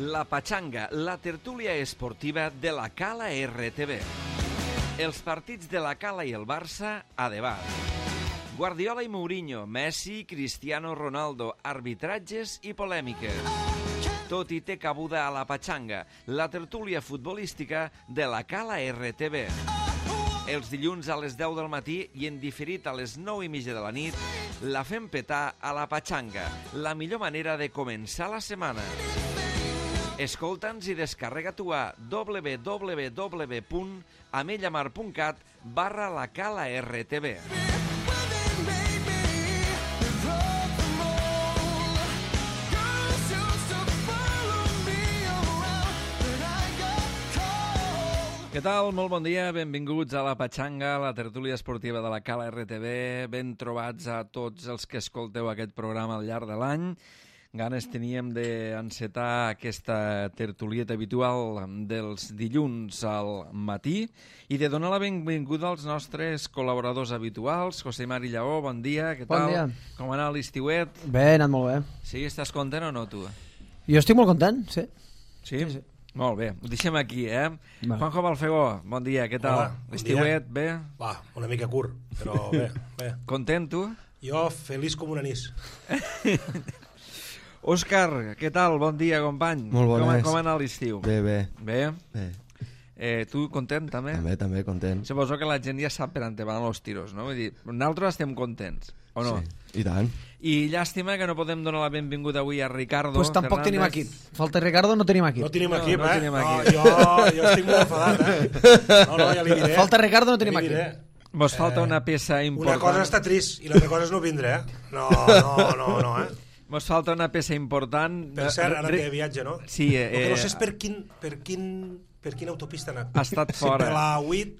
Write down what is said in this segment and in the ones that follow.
La Pachanga, la tertúlia esportiva de la Cala RTV. Els partits de la Cala i el Barça a debat. Guardiola i Mourinho, Messi, Cristiano Ronaldo, arbitratges i polèmiques. Tot hi té cabuda a la Pachanga, la tertúlia futbolística de la Cala RTV. Els dilluns a les 10 del matí i en diferit a les 9:30 de la nit, la fem petar a la Pachanga, la millor manera de començar la setmana. Escolta'ns i descarrega-t'ho a www.amellamar.cat/lacala-rtv. Què tal? Molt bon dia, benvinguts a la Pachanga, la tertúlia esportiva de la Cala RTV. Ben trobats a tots els que escolteu aquest programa al llarg de l'any. Ganes teníem d'encetar aquesta tertulieta habitual dels dilluns al matí i de donar la benvinguda als nostres col·laboradors habituals. José Mari Lleó, bon dia, què tal? Bon dia. Com ha anat l'estiuet? Bé, ha anat molt bé. Sí, estàs content o no, tu? Jo estic molt content, sí. Sí? Sí. Molt bé, ho deixem aquí, Va. Juanjo Balfegó, bon dia, què tal? Hola, bon l'estiuet, bé? Va, una mica curt, però bé, bé. Content, tu? Jo feliç com un anís. Òscar, què tal? Bon dia, company. Molt bones. Com ha anat l'estiu? Bé, bé. Bé? Bé. Tu content, també? També, content. Suposo que la gent ja sap per on te van els tiros, no? Vull dir, nosaltres estem contents, o no? Sí, i tant. I llàstima que no podem donar la benvinguda avui a Ricardo Pues tampoc Fernández. tenim equip. Falta Ricardo, no tenim equip. No tenim equip, no tenim equip. No, jo estic molt enfadat, No, ja li diré. Falta Ricardo, no tenim Ja li equip. diré. Mos falta una peça important. Una cosa està trist i l'altra cosa és no vindre, No, Mos falta una peça important. Per cert, ara té viatge, no? Sí. El que no sé és per quina autopista ha anat. Ha estat fora. Si per la 8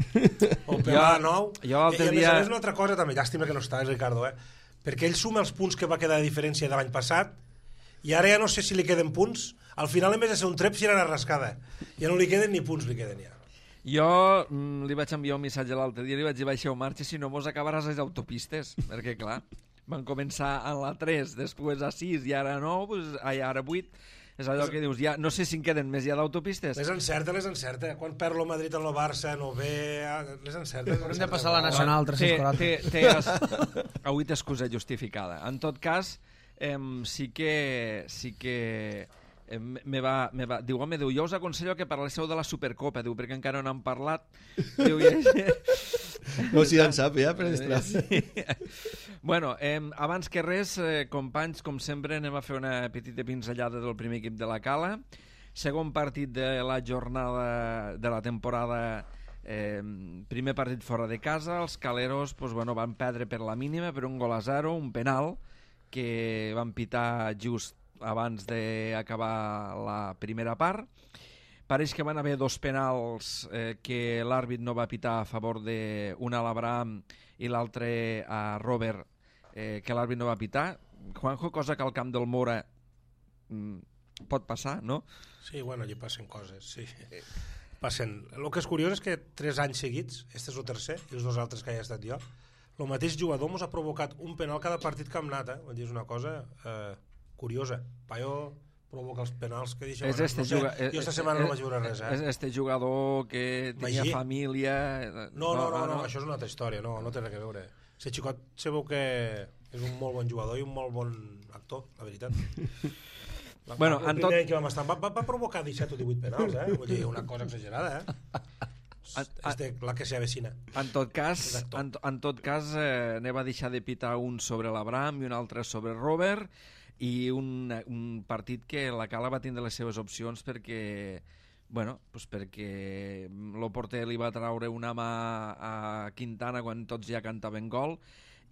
o per la 9. Jo l'altre I a dia... més una altra cosa també, llàstima que no està, Ricardo, perquè ell suma els punts que va quedar de diferència de l'any passat i ara ja no sé si li queden punts. Al final, en vez de ser un trep, si era una rascada. Ja no li queden ni punts, li queden ja. Jo li vaig enviar un missatge l'altre dia, li vaig dir, baixeu marxa, si no mos acabaràs les autopistes, perquè clar, van començar a la 3, després a 6 i ara 9, pues, ara 8, és allò que dius, ja no sé si en queden més ja d'autopistes. Les encerta. Quan perd el Madrid en el Barça, no ve... Les encerta. Hem de passar a la Nacional 340. Avui té excusa justificada. En tot cas, sí que diu, home, jo us aconsello que parléssiu de la Supercopa, diu, perquè encara no n'han parlat. Diu, No, si ja en sap, ja, per extra. Sí. Bueno, abans que res, companys, com sempre, anem a fer una petita pinzellada del primer equip de la Cala. Segon partit de la jornada de la temporada, primer partit fora de casa. Els caleros van perdre per la mínima, per 1-0, un penal que van pitar just abans d'acabar la primera part. Pareix que van haver dos penals que l'àrbit no va pitar a favor d'un a l'Abraham i l'altre a Robert, que l'àrbit no va pitar. Juanjo, cosa que al camp del Mora pot passar, no? Sí, bueno, allí passen coses, sí. Passen. El que és curiós és que 3 anys seguits, este és el tercer, i els 2 altres que he estat jo, el mateix jugador mos ha provocat un penal cada partit que hem anat, Vull dir, és una cosa curiosa. Paio provoca els penals que deixa... Jo esta setmana no vaig veure res, És este jugador que tenia família... No, això és una altra història, no té res a veure. Aquest xicot se veu que és un molt bon jugador i un molt bon actor, la veritat. El primer any que vam estar va provocar 17 o 18 penals, Vull dir, una cosa exagerada, És de la que s'avecina. En tot cas, ne va deixar de pitar un sobre l'Abraham i un altre sobre Robert, i un partit que la Cala va tindre les seves opcions perquè el porter li va traure una mà a Quintana quan tots ja cantaven gol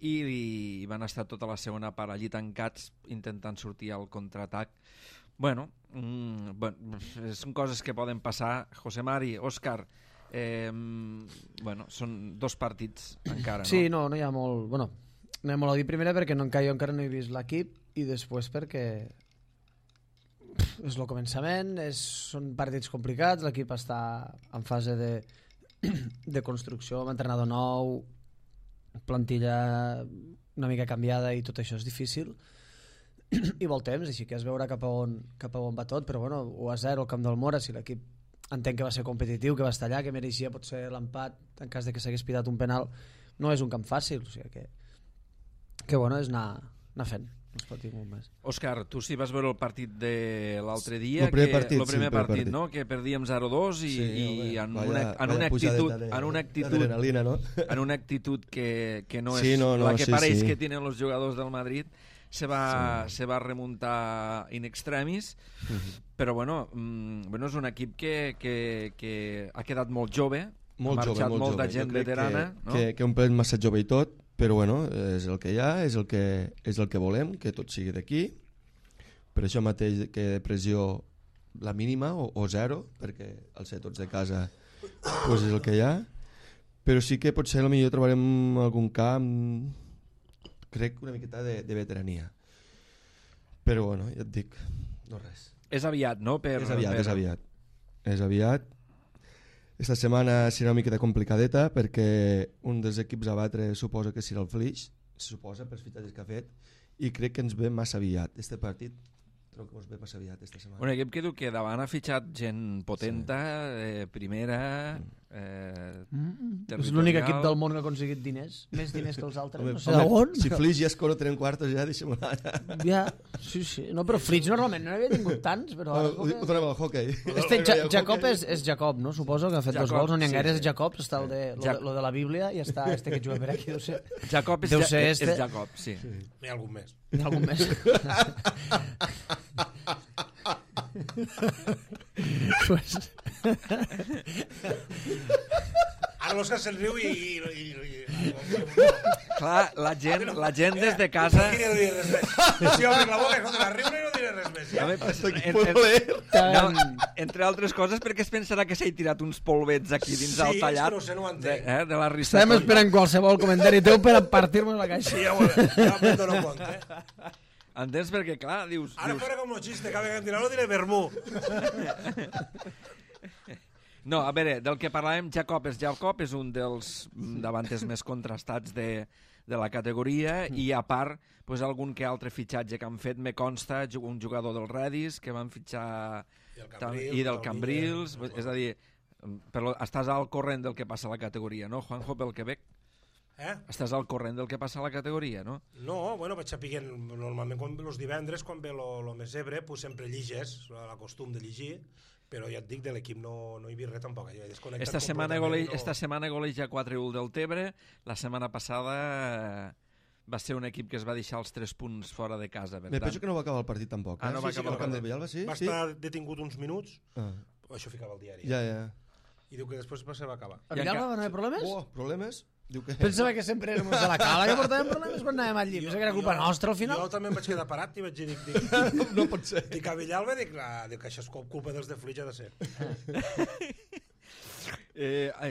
i van estar tota la segona part allí tancats intentant sortir al contraatac. Són coses que poden passar. José Mari, Òscar, són 2 partits encara, no? Sí, no hi ha molt... Bueno, no hi ha molt a dir primera perquè jo encara no he vist l'equip i després perquè és el començament, són partits complicats, l'equip està en fase de construcció, amb entrenador nou, plantilla una mica canviada i tot això és difícil. i vol temps, així que es veurà cap a on va tot, però bueno, 1-0 al camp del Mora, si l'equip entenc que va ser competitiu, que va estar allà, que mereixia potser l'empat en cas de que s'hagués pitat un penal, no és un camp fàcil, o sigui que bueno, és anar fent, no es pot dir molt més. Òscar, tu sí vas veure el partit de l'altre dia, el primer partit, no? Que perdíem 0-2 i en una actitud que no és la que pareix que tenen els jugadors del Madrid, se va remuntar in extremis, però bueno, és un equip que ha quedat molt jove, ha marxat molta gent veterana, que un plet massa jove i tot, però bueno, és el que hi ha, és el que volem, que tot sigui d'aquí, per això mateix que pressió la mínima o zero, perquè al ser tots de casa pues és el que hi ha, però sí que potser potser trobarem algun camp, crec una miqueta de veterania, però bueno, ja et dic, no res. És aviat, no? És aviat. Esta setmana serà una miqueta complicadeta perquè un dels equips a batre suposa que serà el Flix, suposa pels fitxatges que ha fet, i crec que ens ve massa aviat. Este partit crec que ens ve massa aviat esta setmana. Un equip que diu que davant ha fitxat gent potenta, primera, territorial. És l'únic equip del món que ha aconseguit diners, més diners que els altres. Home, no sé d'on. Si Flix ja es coro 3 quartos ja, deixem-ho anar. Ja, sí. No, però Flix normalment no havia tingut tants, però... Ho donem al hockey. Jacob és Jacob, no? Suposo que ha fet 2 gols, no n'hi ha gaires Jacobs, està lo de la Bíblia i està este que juga per aquí, deu ser. Jacob és Jacob, sí. N'hi ha algun més. N'hi ha algun més. Pues... Ara l'Òscar se'n riu i... Clar, la gent des de casa... No diré res més. Si obres la boca, escolta, riure i no diré res més. Ja. Entre altres coses, perquè es pensarà que s'ha tirat uns polvets aquí dins el tallat no sé, no ho entenc. de la risa. Estem esperant qualsevol comentari teu per partir-nos la caixa. Sí, ja me'n dono compte. Entens? Perquè, clar, dius... Ara fora com el xiste, cada vegada que em dirà no diré vermú. No, a veure, del que parlàvem, Jacob és un dels davantes més contrastats de la categoria i a part, pues, algun que altre fitxatge que han fet, me consta un jugador del Redis que van fitxar i del Cambrils, és a dir, però estàs al corrent del que passa a la categoria, no, Juanjo, pel Quebec? Estàs al corrent del que passa a la categoria, no? No, bueno, vaig sapiguent, normalment els divendres, quan ve lo més ebre, pues sempre lliges, la costum de llegir, però ja et dic, de l'equip no hi havia res tampoc. Esta setmana goleja 4-1 del Tebre, la setmana passada va ser un equip que es va deixar els 3 punts fora de casa. Me penso que no va acabar el partit tampoc. No va acabar el camp del Villalba, sí? Va estar detingut uns minuts, això ficava al diari. Ja. I diu que després se va acabar. A Villalba van haver problemes? Problemes? Pensava que sempre érem de la Cala que portàvem problemes quan anàvem al llit. Pensava que era culpa nostra al final. Jo també em vaig quedar parat i vaig dir... No pot ser. Dic a Villalba, dic que això és culpa dels de Flix, ha de ser.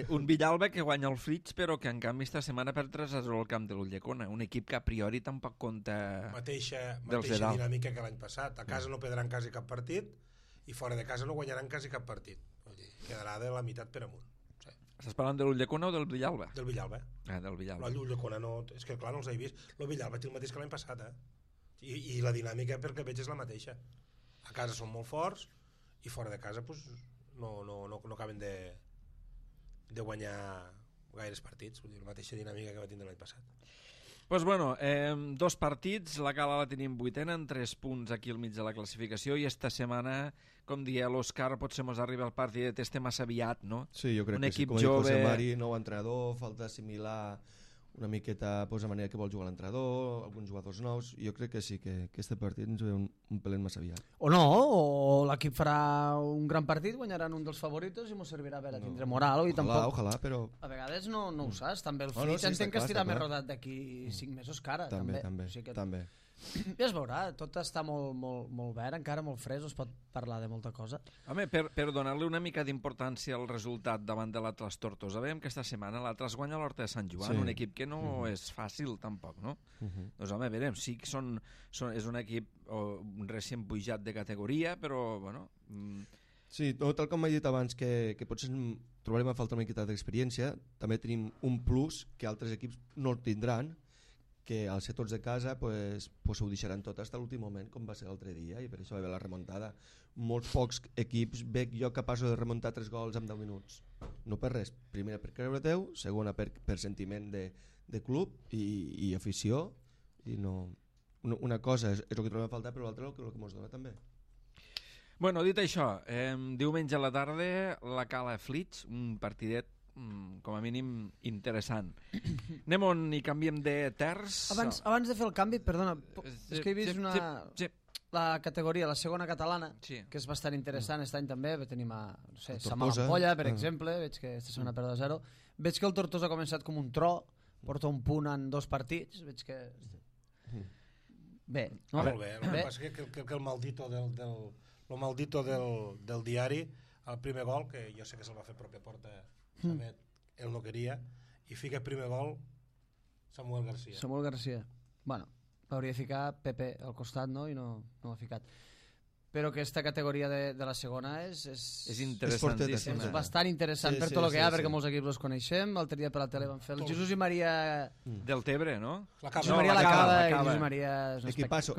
Un Villalba que guanya el Flix, però que en canvi esta setmana per 3-0 al camp de l'Ulldecona, un equip que a priori tampoc compta mateixa dinàmica que l'any passat. A casa no perdran quasi cap partit i fora de casa no guanyaran quasi cap partit. Quedarà de la meitat per amunt. Estàs parlant de l'Ulldecona o del Villalba? Del Villalba. Del Villalba. L'Ulldecona no... És que clar, no els he vist. El Villalba té el mateix que l'any passat, I la dinàmica perquè veig és la mateixa. A casa són molt forts i fora de casa pues, no acaben de guanyar gaires partits. Vull dir, la mateixa dinàmica que va tindre l'any passat. Pues bueno, 2 partits, la Cala la tenim 8ena, en 3 punts aquí al mig de la classificació, i esta setmana, com dia l'Òscar, potser mos arriba el partit, estem massa aviat, no? Sí, jo crec que sí, com ha dit José Mari, nou entrenador, falta assimilar una miqueta pues, la manera que vol jugar l'entrenador, alguns jugadors nous, jo crec que sí, que aquest partit ens ve un pelet massa aviat. O no, o l'equip farà un gran partit, guanyaran un dels favoritos i ens servirà per a tindre moral. Ojalà, però... A vegades no ho saps, també el Flix entenc que estirà més rodat d'aquí 5 mesos que ara. També. Ja es veurà, tot està molt verd, encara molt fresc, es pot parlar de molta cosa. Home, per donar-li una mica d'importància al resultat davant de l'Atlas Tortosa, veiem que esta setmana l'Atlas guanya l'Horta de Sant Joan, un equip que no és fàcil tampoc, no? Doncs home, veurem, sí que és un equip recient pujat de categoria, però bueno... Sí, tal com m'he dit abans, que potser trobarem a falta una miqueta d'experiència, també tenim un plus que altres equips no el tindran, que al ser tots de casa pues ho deixaran tot fins a l'últim moment, com va ser l'altre dia, i per això va haver la remuntada. Molts pocs equips veig jo capaços de remuntar 3 gols en 10 minuts. No per res, primera per creure teu, segona per sentiment de club i afició, i no... Una cosa és el que trobem a faltar, però l'altra és el que ens dona també. Bueno, dit això, diumenge a la tarda la Cala Flix, un partidet com a mínim interessant. Anem on i canviem de terç. Abans de fer el canvi, perdona, és que he vist la categoria, la segona catalana, que és bastant interessant. Aquest any també tenim no sé, Samampolla, per exemple, veig que aquesta setmana perd 2-0. Veig que el Tortosa ha començat com un tro, porta un punt en 2 partits, veig que... Bé, no? Molt bé, el que passa és que el maldito del diari, el primer gol, que jo sé que se'l va fer pròpia porta, ell no queria, i fica el primer gol Samuel García. Bueno, hauria de ficar Pepe al costat, no? I no ho ha ficat. Però aquesta categoria de la segona és interessantíssima. És bastant interessant per tot el que hi ha, perquè molts equips els coneixem. L'altre dia per la tele van fer el Jesús i Maria... Del Tebre, no? Jesús Maria la Cava i Jesús Maria... Equipasso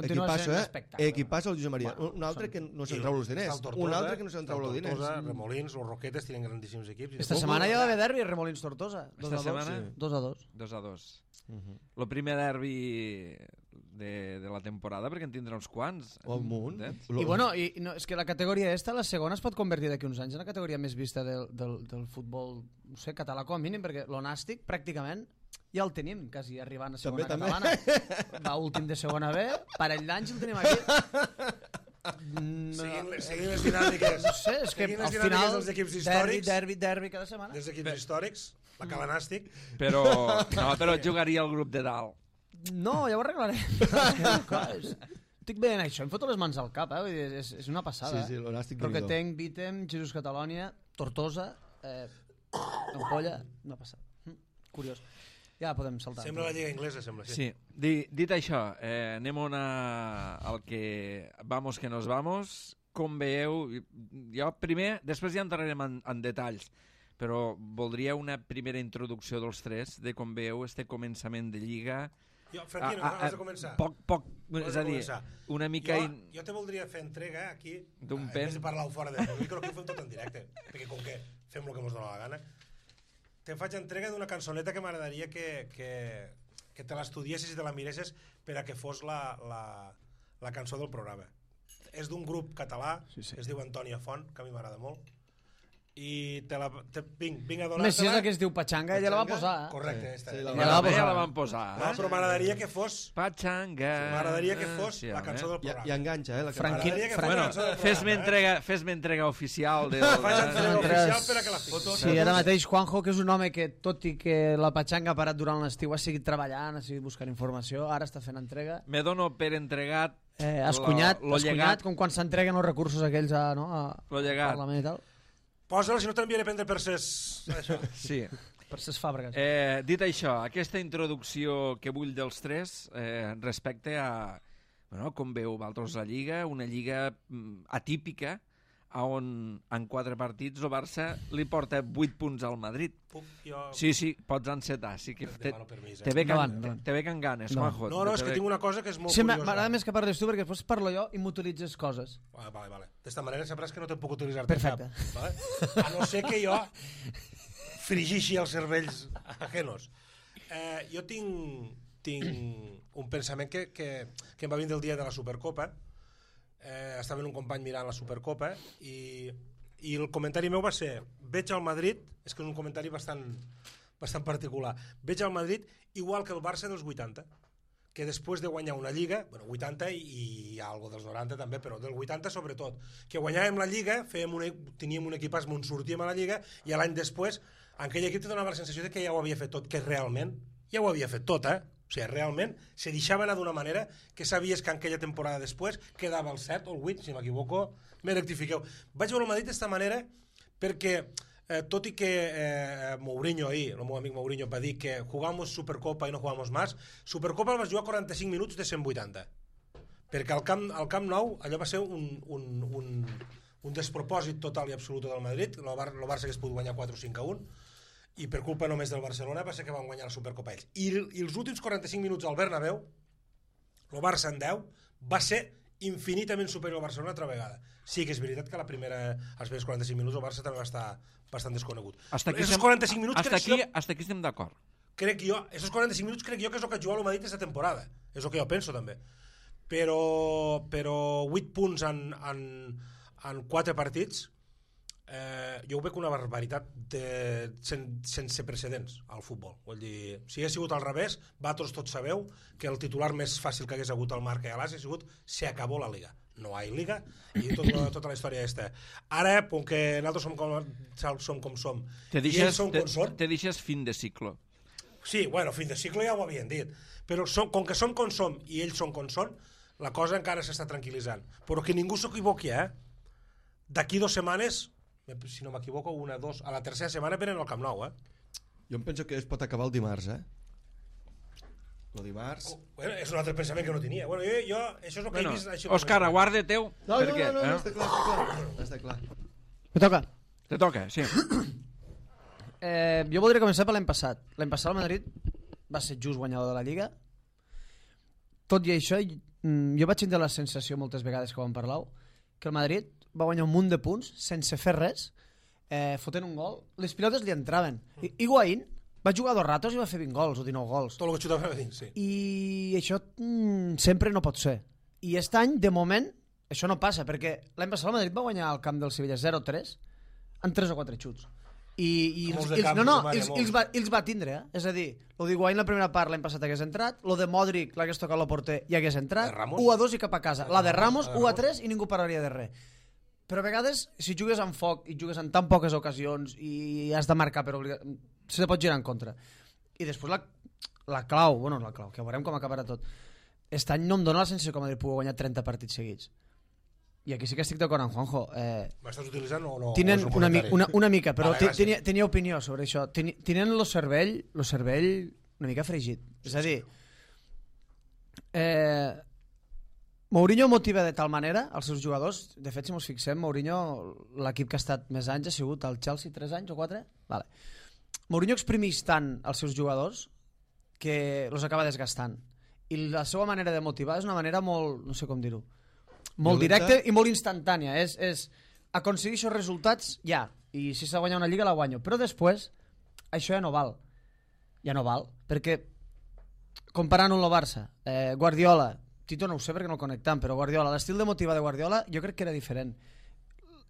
el Jesús Maria. Un altre que no se'n trau els diners. Un altre que no se'n trau els diners. Tortosa, Remolins, los Roquetes tenen grandíssims equips. Esta setmana hi ha d'haver derbi, Remolins-Tortosa. 2-2. 2-2. El primer derbi de la temporada, perquè en tindrà uns quants. O un munt. I bueno, és que la categoria esta, la segona, es pot convertir d'aquí uns anys en la categoria més vista del futbol, no sé, català com a mínim, perquè l'onàstic pràcticament ja el tenim quasi arribant a segona catalana. Va últim de segona B, parell d'anys el tenim aquí. Seguim les dinàmiques. No sé, és que al final dels equips històrics, derbi cada setmana. dels equips històrics, la calanàstic. Però jugaria el grup de dalt. No, ja ho arreglarem. Estic bé en això, em foto les mans al cap, és una passada. Sí, l'onàstic Roquetenc, Vítem, Jesús Catalònia, Tortosa, Ampolla, una passada. Curiós. Ja podem saltar. Sembla la lliga inglesa, sembla. Sí. Dit això, anem al que vamos que nos vamos. Com veieu, jo primer, després ja entrarem en detalls, però voldria una primera introducció dels tres de com veieu este començament de lliga. Franquino, has de començar. Poc, és a dir, una mica... Jo te voldria fer entrega aquí, d'un en vez de parlar fora del micro, que ho fem tot en directe, perquè com que fem el que ens dona la gana, te faig entrega d'una cançoneta que m'agradaria que te l'estudiessis i te la miressis per a que fos la cançó del programa. És d'un grup català, es diu Antònia Font, que a mi m'agrada molt, i vinc a donar-te-la. Més si és la que es diu Pachanga, ella la va posar. Correcte, esta. Ja la van posar. No, però m'agradaria que fos... Pachanga. M'agradaria que fos la cançó del programa. I enganxa, la cançó. Fes-me entrega oficial. Faig entrega oficial per a que la fiquis. Sí, ara mateix Juanjo, que és un home que, tot i que la Pachanga ha parat durant l'estiu, ha seguit treballant, ha seguit buscant informació, ara està fent entrega. Me dono per entregat has cunyat com quan s'entreguen els recursos aquells al Parlament i tal. Posa-la, si no t'enviaré a prendre per ses... Sí. Per ses fàbriques. Dit això, aquesta introducció que vull dels tres respecte a com veu vosaltres la Lliga, una Lliga atípica, on en 4 partits el Barça li porta 8 punts al Madrid. Sí, pots encetar. Sí que te ve can ganes, Juanjo. No, és que tinc una cosa que és molt curiosa. M'agrada més que parles tu, perquè després parlo jo i m'utilitzes coses. Vale. D'esta manera sabràs que no te'n puc utilitzar perfecte. Cap. A no ser que jo frigixi els cervells ajenos. Jo tinc un pensament que em va vindre el dia de la Supercopa. Estava un company mirant la Supercopa i el comentari meu va ser: veig al Madrid, és que és un comentari bastant particular, veig al Madrid igual que el Barça dels 80, que després de guanyar una Lliga, 80 i algo dels 90 també, però del 80 sobretot, que guanyàvem la Lliga, teníem un equipàs on sortíem a la Lliga, i l'any després aquell equip te donava la sensació de que ja ho havia fet tot, que realment ja ho havia fet tot, O sigui, realment se deixava anar d'una manera que sabies que en aquella temporada després quedava el 7 o el 8, si m'equivoco, me rectifiqueu. Vaig veure el Madrid d'esta manera perquè, tot i que Mourinho ahir, el meu amic Mourinho, va dir que jugamos Supercopa i no jugamos más, Supercopa el vas jugar 45 minuts de 180. Perquè al Camp Nou allò va ser un despropòsit total i absolut del Madrid, el Barça que es pot guanyar 4-5-1, i per culpa només del Barcelona va ser que van guanyar la Supercopa ells. I els últims 45 minuts al Bernabéu, el Barça en 10, va ser infinitament superior al Barcelona altra vegada. Sí que és veritat que els primers 45 minuts el Barça també va estar bastant desconegut. Hasta aquí estem d'acord. Esos 45 minuts crec jo que és el que ha jugat el Madrid aquesta temporada. És el que jo penso també. Però 8 punts en 4 partits, jo ho veig una barbaritat sense precedents al futbol. Vull dir, si hagués sigut al revés, vosaltres tots sabeu que el titular més fàcil que hagués hagut al Marca i a l'As ha sigut se acabó la Liga. No hi ha Liga i tota la història aquesta. Ara, com que nosaltres som com som te i ells són com són... Te deixes fin de cicle. Sí, bueno, fin de cicle ja ho havien dit. Però com que som com som i ells són com són, la cosa encara s'està tranquil·litzant. Però que ningú s'equivoqui, D'aquí 2 setmanes, si no m'equivoco, 1, 2, a la tercera setmana venen al Camp Nou, Jo em penso que es pot acabar el dimarts, El dimarts... Bueno, és un altre pensament que no tenia. Bueno, jo això és el que he vist... Òscar, aguarda teu. No, està clar. Me toca. Te toca, sí. Jo voldria començar per l'any passat. L'any passat el Madrid va ser just guanyador de la Lliga. Tot i això, jo vaig tenir la sensació moltes vegades que ho vam parlar, que el Madrid va guanyar un munt de punts sense fer res, fotent un gol. Les pilotes li entraven. Higuaín va jugar 2 ratos i va fer 20 gols o 19 gols. Tot el que xutava dins, sí. I això sempre no pot ser. I aquest any, de moment, això no passa, perquè l'any passat el Madrid va guanyar al camp del Sevilla 0-3 en 3 o 4 xuts. I els va tindre, És a dir, el d'Higuaín la primera part l'any passat hagués entrat, el de Modric l'hagués tocat el porter i hagués entrat, 1-2 i cap a casa. La de Ramos, 1-3 i ningú pararia de res. Però a vegades, si jugues amb foc i jugues en tan poques ocasions i has de marcar per obligació, se te pot girar en contra. I després la clau, que veurem com acabarà tot. Aquest any no em dóna la sensació que el Madrid pugui guanyar 30 partits seguits. I aquí sí que estic d'acord amb Juanjo. M'estàs utilitzant o no? Tenen una mica, però tenia opinió sobre això. Tenen el cervell una mica fregit. És a dir, Mourinho motiva de tal manera els seus jugadors. De fet, si ens fixem, Mourinho, l'equip que ha estat més anys ha sigut el Chelsea, 3 anys o 4. Vale. Mourinho exprimeix tant els seus jugadors que els acaba desgastant. I la seva manera de motivar és una manera molt, no sé com dir-ho, molt directa i molt instantània. És aconseguir aquests resultats ja. I si s'ha guanyat una lliga la guanyo. Però després, això ja no val. Ja no val. Perquè, comparant-ho amb el Barça, Guardiola, Tito no ho sé perquè no el connectam, però Guardiola, l'estil de motivar de Guardiola jo crec que era diferent.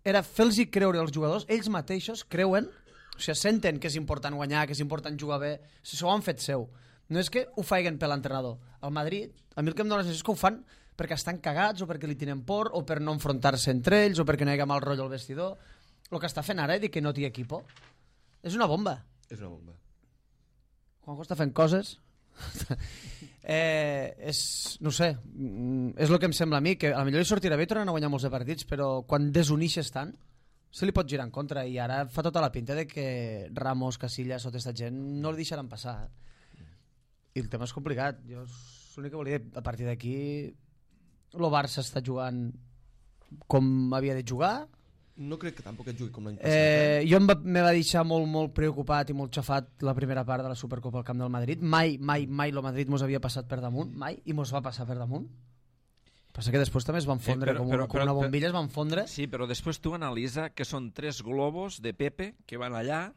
Era fer-los creure als jugadors, ells mateixos creuen, o sigui, senten que és important guanyar, que és important jugar bé, s'ho han fet seu. No és que ho faiguen per l'entrenador. Al Madrid, a mi el que em dóna la sensació és que ho fan perquè estan cagats o perquè li tenen por o per no enfrontar-se entre ells o perquè no hi ha mal rotllo al vestidor. El que està fent ara, dir que no té equipo, és una bomba. És una bomba. Juanjo està fent coses... no sé, és el que em sembla a mi, que a lo millor li sortirà bé i tornen a guanyar molts de partits, però quan desunixes tant se li pot girar en contra i ara fa tota la pinta de que Ramos, Casillas, tota aquesta gent no li deixaran passar. I el tema és complicat. Jo l'únic que volia dir, a partir d'aquí el Barça està jugant com havia de jugar. No crec que tampoc et jugui com l'any passat. Jo me va deixar molt preocupat i molt xafat la primera part de la Supercopa al camp del Madrid. Mai el Madrid mos havia passat per damunt, mai, i mos va passar per damunt. Passa que després també es van fondre, com una bombilla es van fondre. Sí, però després tu analitza que són 3 globos de Pepe que van allà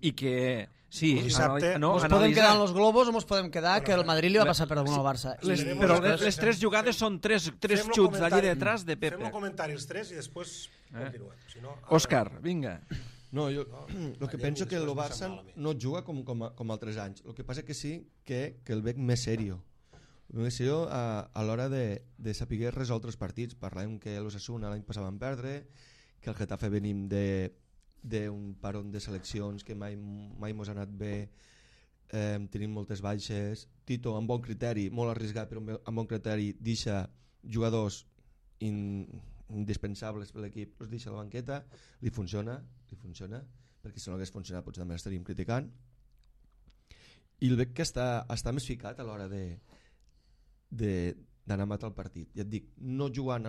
i que... Sí, mos podem quedar en els globos o mos podem quedar que el Madrid li va passar per damunt al Barça. Però les 3 jugades són 3 xuts d'allí detrás de Pepe. Fem un comentari els 3 i després continuem. Òscar, vinga. No, jo el que penso que el Barça no juga com altres anys. El que passa que sí que el veig més serio. Més serio a l'hora de saber resoldre els partits. Parlem que l'Osasuna l'any passat van perdre, que el Getafe venim d'un paron de seleccions que mai mos ha anat bé, tenim moltes baixes. Tito, amb bon criteri, molt arriscat, però amb bon criteri, deixa jugadors indispensables per l'equip, els deixa a la banqueta, li funciona, perquè si no hagués funcionat potser també l'estaríem criticant. I el veig que està més ficat a l'hora d'anar a matar el partit. Ja et dic, no jugant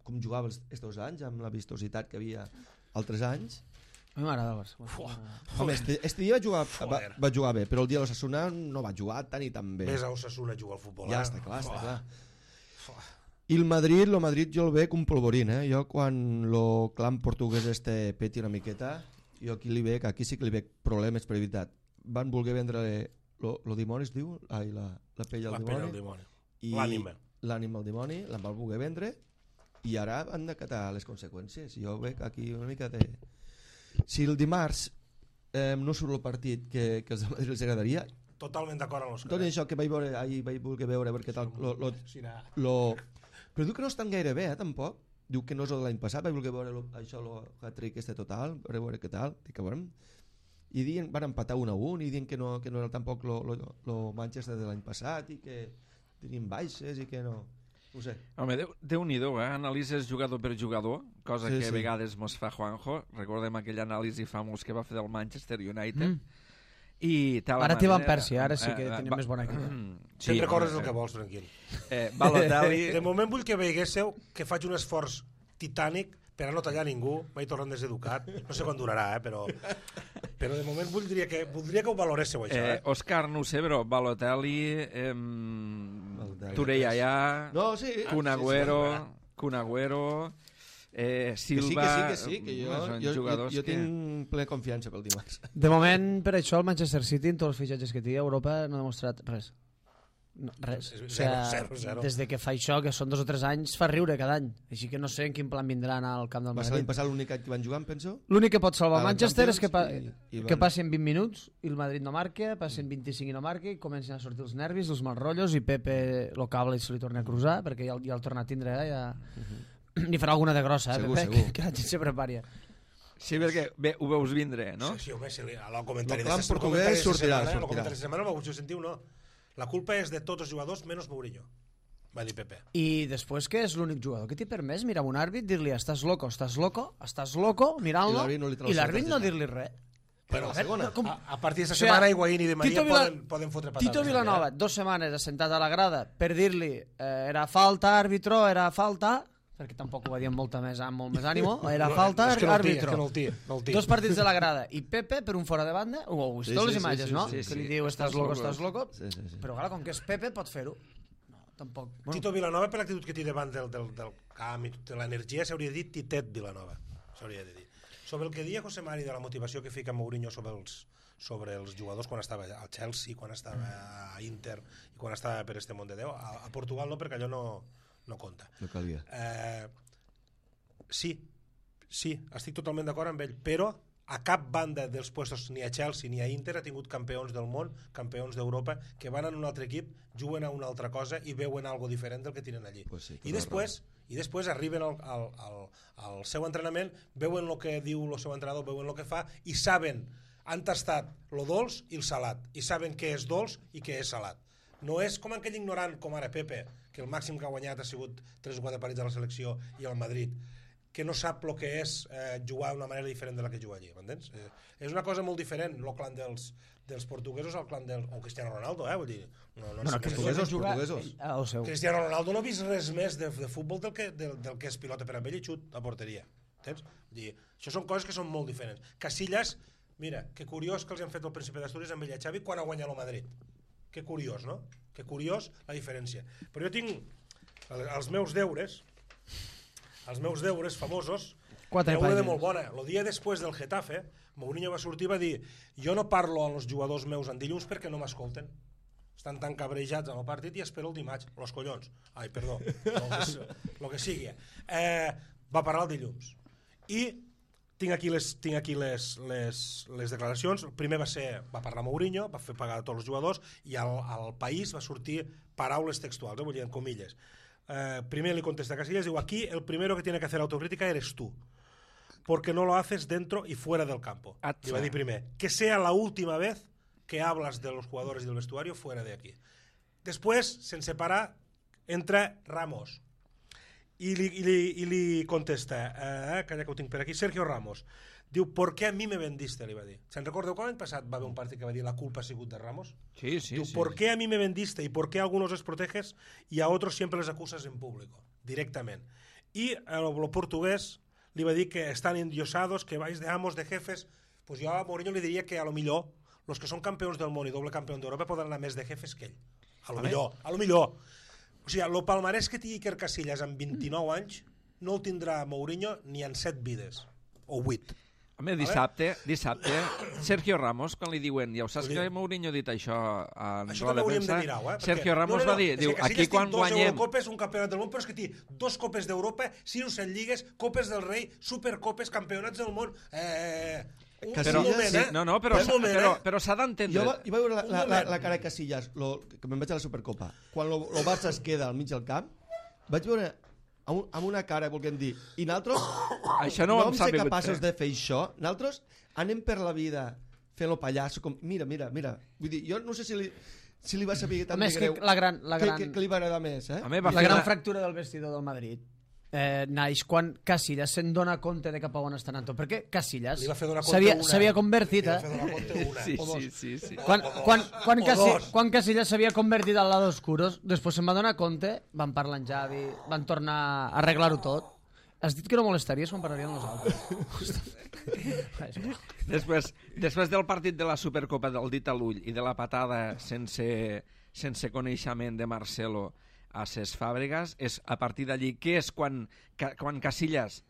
com jugava aquests anys, amb la vistositat que havia altres anys, A mi m'agrada el Barça. Home, este dia va jugar bé, però el dia de l'Osasuna no va jugar tan i tan bé. Ves a Osasuna a jugar al futbol. Ja està clar. I el Madrid jo el veig un polvorín, Jo quan el clan portuguès peti una miqueta, jo aquí aquí sí que li veig problemes per veritat. Van voler vendre lo dimoni, es diu? Ai, la pell al dimoni. L'ànima al dimoni, la van voler vendre i ara han d'acatar les conseqüències. Jo veig aquí una mica de... Si el dimarts no surt el partit que els de Madrid els agradaria... Totalment d'acord amb l'Òscar. Tot això que vaig voler veure perquè tal... Però diu que no estan gaire bé, tampoc. Diu que no és el de l'any passat, vaig voler veure això, el hat-trick total, per veure què tal, dic que veurem. I van empatar 1-1 i diuen que no era tampoc el Manchester de l'any passat i que tenien baixes i que no... No sé. Home, Déu-n'hi-do, analitzes jugador per jugador, cosa que a vegades mos fa Juanjo. Recordem aquell anàlisi famós que va fer del Manchester United. Ara t'hi van Persi, ara sí que tenim més bona equip. Te'n recordes el que vols, tranquil. Balotelli... De moment vull que veiguéssiu que faig un esforç titànic per a no tallar ningú, m'he tornat deseducat, no sé quan durarà, però de moment voldria que ho valoréssiu, això. Òscar, no ho sé, però Balotelli, Tureyaya, Kun Agüero, Silva... Que sí, jo tinc ple confiança pel dimarts. De moment, per això, el Manchester City, en tots els fitxatges que té a Europa, no ha demostrat res. Res. Zero. Des de que fa això, que són 2 o 3 anys, fa riure cada any. Així que no sé en quin plan vindran al camp del Madrid. Va ser l'any passat l'únic any que van jugar, penso? L'únic que pot salvar el Manchester és que passin 20 minuts i el Madrid no marca, passin 25 i no marca, i comencen a sortir els nervis, els mal rotllos, i Pepe lo cable i se li torna a cruzar, perquè ja el torna a tindre, ja... Ni farà alguna de grossa, segur. Que la gent se prepari. Sí, perquè bé, ho veus vindre, no? Sí, home, el comentari de portuguès sortirà. El comentari de setmana ho sentiu, no? La culpa és de tots els jugadors menys Mourinho, va dir Pepe. I després que és l'únic jugador que t'hi permès mirar un àrbit, dir-li estàs loco, mirant-lo, i l'àrbit no dir-li res. Però a partir d'aquesta setmana Higuaín i Di Maria poden fotre patates. Tito Vilanova, 2 setmanes assentat a la grada per dir-li era falta, àrbitro, era falta, perquè tampoc ho va dir amb molt més ànimo, era falta, àrbitro. 2 partits de la grada. I Pepe, per un fora de banda, ho heu vist les imatges, no? Que li diu, estàs loco. Però clar, com que és Pepe, pot fer-ho. No, tampoc. Tito Vilanova, per l'actitud que té davant del camp i de l'energia, s'hauria de dir Titet Vilanova. S'hauria de dir. Sobre el que deia José Mari de la motivació que fica Mourinho sobre els jugadors quan estava al Chelsea, quan estava a Inter i quan estava per este món de Déu, a Portugal no, perquè allò no compta. No calia. Sí, estic totalment d'acord amb ell, però a cap banda dels puestos, ni a Chelsea ni a Inter, ha tingut campions del món, campions d'Europa, que van en un altre equip, juguen a una altra cosa i veuen algo diferent del que tenen allí. Pues sí, I després arriben al seu entrenament, veuen el que diu el seu entrenador, veuen el que fa i saben, han tastat lo dolç i el salat, i saben què és dolç i què és salat. No és com aquell ignorant com ara Pepe, que el màxim que ha guanyat ha sigut 3 o 4 partits a la selecció i al Madrid, que no sap el que és jugar d'una manera diferent de la que juga allí, m'entens? És una cosa molt diferent el clan dels portuguesos al clan del... o Cristiano Ronaldo, vull dir... portuguesos. Cristiano Ronaldo no ha vist res més de futbol del que és pilota per amb ell i xut a porteria, entens? Vull dir, això són coses que són molt diferents. Casillas, mira, que curiós que els han fet el Príncipe d'Astúries amb ell a Xavi quan ha guanyat el Madrid. Que curiós, no? Que curiós la diferència. Però jo tinc els meus deures famosos, una de molt bona. El dia després del Getafe, Mourinho va sortir i va dir: jo no parlo als jugadors meus en dilluns perquè no m'escolten. Estan tan cabrejats amb el partit i espero el dimarts. Los collons. Ai, perdó. El que sigui. Va parlar el dilluns. I tinc aquí les declaracions. El primer va parlar Mourinho, va fer pagar a tots els jugadors, i al País va sortir paraules textuals, vull dir, en comilles. Primer li contesta a Casillas, diu: aquí el primero que tiene que hacer autocrítica eres tú, porque no lo haces dentro y fuera del campo. Li va dir primer, que sea la última vez que hablas de los jugadores y del vestuario fuera de aquí. Després, sense parar, entra Ramos i li contesta, calla que ho tinc per aquí, Sergio Ramos, diu: ¿por qué a mí me vendiste? Li va dir. ¿Se'n recordeu quan l'any passat va haver un partit que va dir la culpa ha sigut de Ramos? Sí. Diu: ¿por qué a mí me vendiste y por qué a algunos les proteges y a otros siempre les acusas en público? Directament. I el portuguès li va dir que estan endiosados, que vais de amos, de jefes. Pues jo a Mourinho li diria que a lo millor los que són campions del món i doble campió d'Europa poden anar més de jefes que ell. A lo millor. O sigui, el palmarès que tingui Iker Casillas amb 29 anys no el tindrà Mourinho ni en 7 vides, o 8. Home, dissabte, Sergio Ramos, quan li diuen, ja ho saps que Mourinho ha dit això en això la defensa, de Sergio Ramos va dir, diu, aquí quan guanyem... Eurocopes, un campionat del món, però és que té 2 copes d'Europa, 6 o 7 lligues, copes del rei, supercopes, campionats del món... Però s'ha d'entendre. Jo vaig veure la cara de Casillas, que me'n vaig a la Supercopa, quan el Barça es queda al mig del camp, vaig veure amb una cara, volguem dir, i nosaltres no vam ser capaços de fer això, nosaltres anem per la vida fent-lo pallasso, com, mira, vull dir, jo no sé si li va saber tan de greu que li va agradar més, la gran fractura del vestidor del Madrid naix quan Casillas se'n dona compte de cap a on està anant tot, perquè Casillas s'havia convertit sí. quan Casillas s'havia convertit al lado oscuro, després se'n va donar compte, van parlar amb Xavi, van tornar a arreglar-ho tot. Has dit que no molestaries quan parlaríem nosaltres. Després del partit de la Supercopa del dit a l'ull i de la patada sense coneixement de Marcelo a ses Fàbregas, és a partir d'allí que és quan Casillas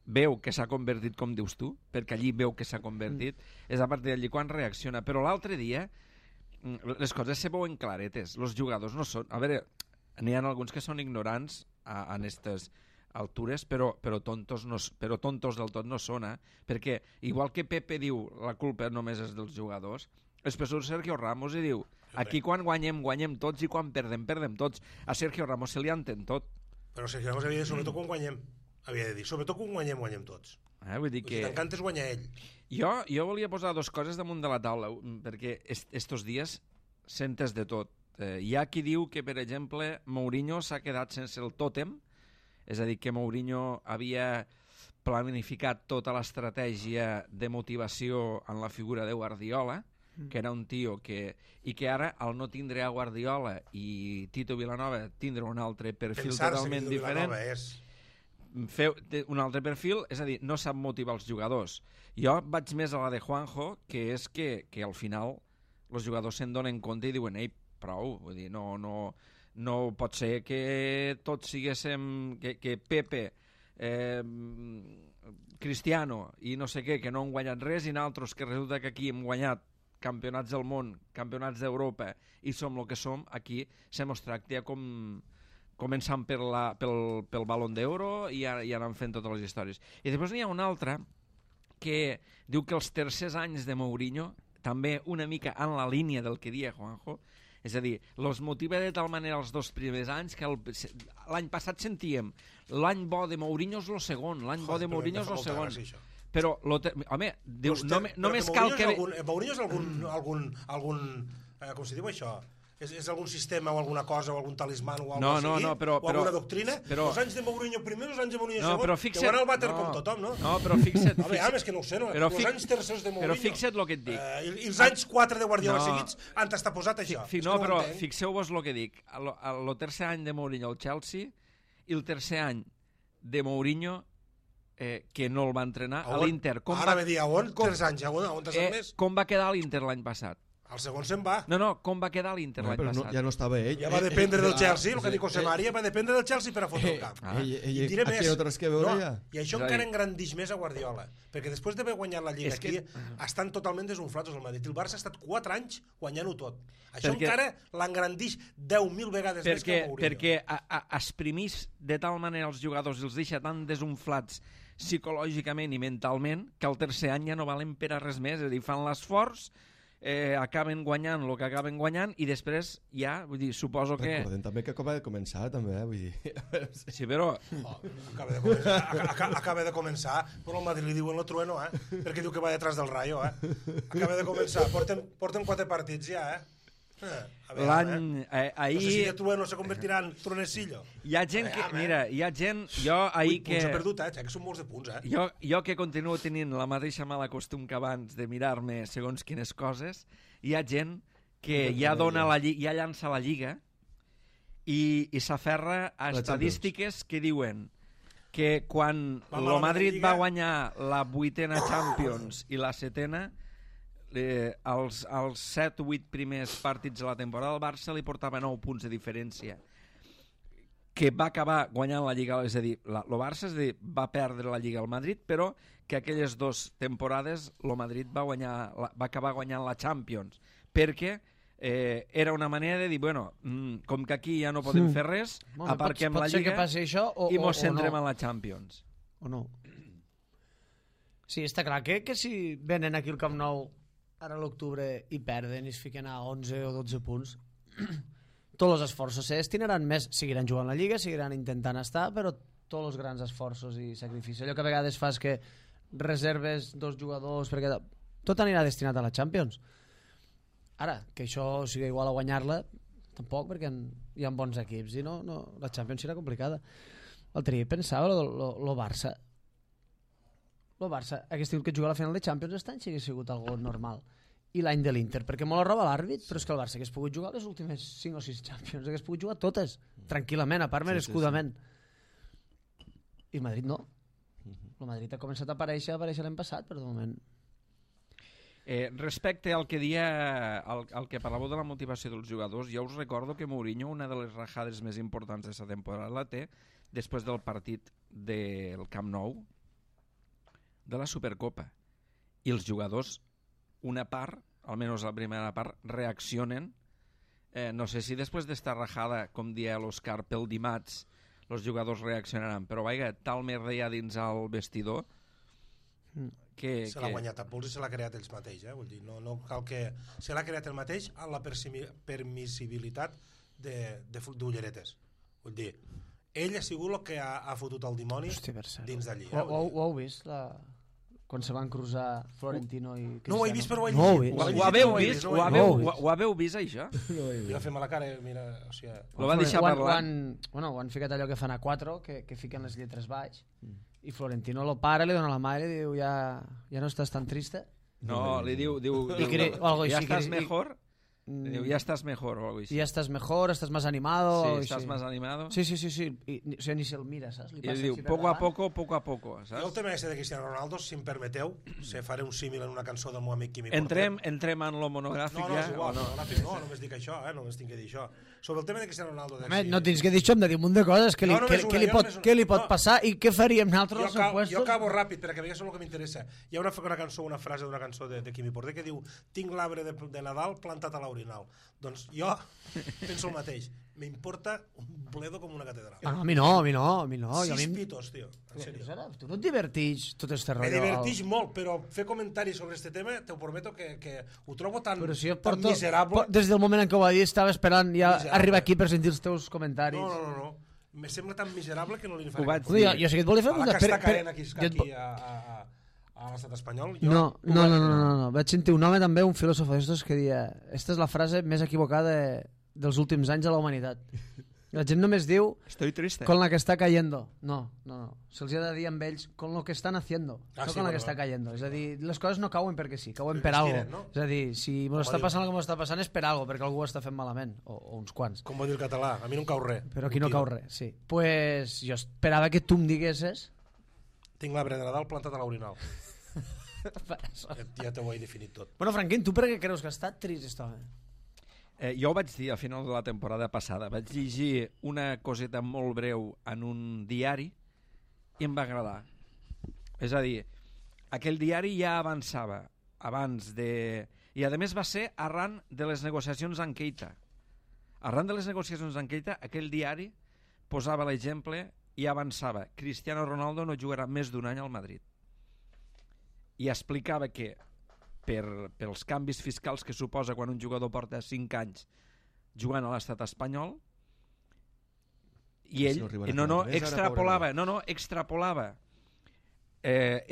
veu que s'ha convertit, com dius tu, perquè allí veu que s'ha convertit, és a partir d'allí quan reacciona. Però l'altre dia les coses se veuen claretes, els jugadors no són... A veure, n'hi ha alguns que són ignorants en aquestes altures, però tontos del tot no són, perquè igual que Pepe diu la culpa només és dels jugadors, després surt Sergio Ramos i diu aquí quan guanyem tots i quan perdem tots. A Sergio Ramos se li entén tot. Però Sergio Ramos havia de dir sobretot quan guanyem. Havia de dir sobretot quan guanyem tots. Vull dir que... T'encanta és guanyar ell. Jo volia posar 2 coses damunt de la taula, perquè estos dies sentes de tot. Hi ha qui diu que, per exemple, Mourinho s'ha quedat sense el tòtem, és a dir, que Mourinho havia planificat tota l'estratègia de motivació en la figura de Guardiola, que era un tio i que ara, al no tindre a Guardiola i Tito Vilanova tindre un altre perfil totalment diferent, un altre perfil, és a dir, no sap motivar els jugadors. Jo vaig més a la de Juanjo, que és que al final els jugadors se'n donen compte i diuen, ei, prou, vull dir, no pot ser que tots siguéssim, que Pepe, Cristiano i no sé què, que no han guanyat res, i nosaltres que resulta que aquí hem guanyat campionats del món, campionats d'Europa i som el que som, aquí se mos tracta com començant pel Balón d'Oro i anant fent totes les històries. I després n'hi ha una altra que diu que els tercers anys de Mourinho, també una mica en la línia del que dia Juanjo, és a dir, els motiva de tal manera els 2 primers anys que l'any passat sentíem l'any bo de Mourinho és el segon, l'any bo de Mourinho és el segon. Però, home, dius, només cal que... Mourinho és algun com se diu això? És algun sistema o alguna cosa o algun talismà o alguna doctrina? Els anys de Mourinho primer, els anys de Mourinho segon, que van al vàter com tothom, no? No, però fixa't... és que no ho sé, no? Els anys tercers de Mourinho... Però fixa't el que et dic. I els anys 4 de Guardiola seguits han estat posat això. No, però fixeu-vos el que dic. El tercer any de Mourinho al Chelsea i el tercer any de Mourinho que no el va entrenar a l'Inter. Ara ve dir, on? 3 anys, on t'has més? Com va quedar l'Inter l'any passat? El segon se'n va. No, com va quedar l'Inter l'any passat? Ja no estava ell. Ja va dependre del Chelsea, el que dic José María, va dependre del Chelsea per a fotre el camp. I diré més. I això encara engrandix més a Guardiola, perquè després d'haver guanyat la Lliga aquí, estan totalment desunflats al Madrid. El Barça ha estat 4 anys guanyant-ho tot. Això encara l'engrandix 10.000 vegades més que Mourinho. Perquè exprimís de tal manera els jugadors i els deixa tan desunflats psicològicament i mentalment que el tercer any ja no valen per a res més, és a dir, fan l'esforç, acaben guanyant el que acaben guanyant i després ja, vull dir, suposo que... Recordem també que acaba de començar, també, vull dir... Sí, però... Acaba de començar, però al Madrid li diuen el trueno, perquè diu que va detrás del Rayo, Acaba de començar, porten 4 partits ja, L'any... No sé si de trueno se convertirà en truenesillo. Hi ha gent que... Mira, hi ha gent... Jo ahir que... Punts ha perdut, que són molts de punts, Jo que continuo tenint la mateixa mala costum que abans de mirar-me segons quines coses, hi ha gent que ja llança la Lliga i s'aferra a estadístiques que diuen que quan el Madrid va guanyar la 8a Champions i la 7a, els 7 o 8 primers partits de la temporada el Barça li portava 9 punts de diferència, que va acabar guanyant la Lliga, és a dir, el Barça va perdre la Lliga al Madrid, però que aquelles 2 temporades el Madrid va acabar guanyant la Champions, perquè era una manera de dir, bueno, com que aquí ja no podem fer res, aparquem la Lliga i mos centrem en la Champions. O no? Sí, està clar que si venen aquí al Camp Nou ara a l'octubre i perden i es fiquen a 11 o 12 punts, tots els esforços se destinaran més, seguiran jugant la Lliga, seguiran intentant estar, però tots els grans esforços i sacrificis, allò que a vegades fas que reserves 2 jugadors perquè tot anirà destinat a la Champions. Ara, que això sigui igual a guanyar-la, tampoc, perquè hi ha bons equips i no, la Champions serà complicada. L'altre dia pensava el Barça hagués tingut que jugar a la final de Champions aquest any si hagués sigut algo normal, i l'any de l'Inter, perquè molt roba l'àrbit, però és que el Barça hagués pogut jugar les últimes 5 o 6 Champions, hagués pogut jugar totes tranquil·lament, a part merescudament. I el Madrid no. El Madrid ha començat a aparèixer l'any passat, però de moment respecte al que al que parlàveu de la motivació dels jugadors, jo us recordo que Mourinho, una de les rajades més importants d'aquesta temporada, la té després del partit del Camp Nou de la Supercopa, i els jugadors, una part, almenys la primera part, reaccionen, no sé si després d'esta rajada, com dia l'Òscar, pel dimarts els jugadors reaccionaran, però vaja, tal merda hi ha dins el vestidor que se l'ha guanyat a pols i se l'ha creat ells mateix, vull dir, no cal que se l'ha creat el mateix a la permissibilitat d'ulleretes, vull dir, ell ha sigut el que ha fotut el dimoni dins d'allí. Ho heu vist quan se van cruzar Florentino i Cristiano? No ho he vist, però ho he vist. Ho haveu vist, això? Jo fem a la cara, mira, o sigui... Lo va deixar parlar. Ho han ficat allò que fan a 4, que fiquen les lletres baix, i Florentino lo para, li dona la mà i li diu, ja no estàs tan triste? No, li diu ja estàs mejor? Diu, ya estás mejor o algo así. Ya estás mejor, estás más animado. Sí, estás más animado. Sí. O sigui, ni se'l mira, saps? I diu, poco a poco, saps? Jo el tema de Cristiano Ronaldo, si em permeteu, faré un símil en una cançó del meu amic Quimi Porter. Entrem en lo monogràfic ja? No, és igual, no només dic això, només tinc que dir això. Sobre el tema de Cristiano Ronaldo... No tens que dir això, hem de dir un munt de coses. Què li pot passar i què faríem nosaltres als opuestos? Jo acabo ràpid, perquè a mi és el que m'interessa. Hi ha una frase d'una cançó de Quimi Porter que diu: tinc l'arbre de Nadal plantat a l'orinal. Doncs jo penso el mateix. M'importa un bledo com una catedral. A mi no. 6 pitos, tio. En sèrio. Tu no et divertix tot este rotllo? Me divertix molt, però fer comentaris sobre este tema, te ho prometo que ho trobo tan miserable. Des del moment en què ho va dir estava esperant ja arribar aquí per sentir els teus comentaris. No. Me sembla tan miserable que no li faré. Jo sé que et volia fer... A la que està caent aquí a l'estat espanyol... No. Vaig sentir un home també, un filòsof d'estos, que deia: esta és la frase més equivocada dels últims anys a la humanitat. I la gent només diu estoy triste con la que està cayendo. No. Se'ls ha de dir amb ells con lo que están haciendo, no con la que està cayendo. És a dir, les coses no cauen perquè sí, cauen per algo. No? És a dir, si m'ho està passant el que m'ho està passant és per algo, perquè algú ho està fent malament, o uns quants. Com va dir el català, a mi no em cau res. Però aquí no cau res, sí. Pues jo esperava que tu em diguessis... Tinc l'arbre de Nadal plantat a l'orinal. Ja t'ho he definit tot. Bueno, Franquín, tu per què creus que ha estat trist aquest home? Jo ho vaig dir a final de la temporada passada. Vaig llegir una coseta molt breu en un diari i em va agradar. És a dir, aquell diari ja avançava abans de... I a més va ser arran de les negociacions amb Keita. Arran de les negociacions amb Keita, aquell diari posava l'exemple i avançava: Cristiano Ronaldo no jugarà més d'un any al Madrid. I explicava que pels canvis fiscals que suposa quan un jugador porta 5 anys jugant a l'estat espanyol, i ell extrapolava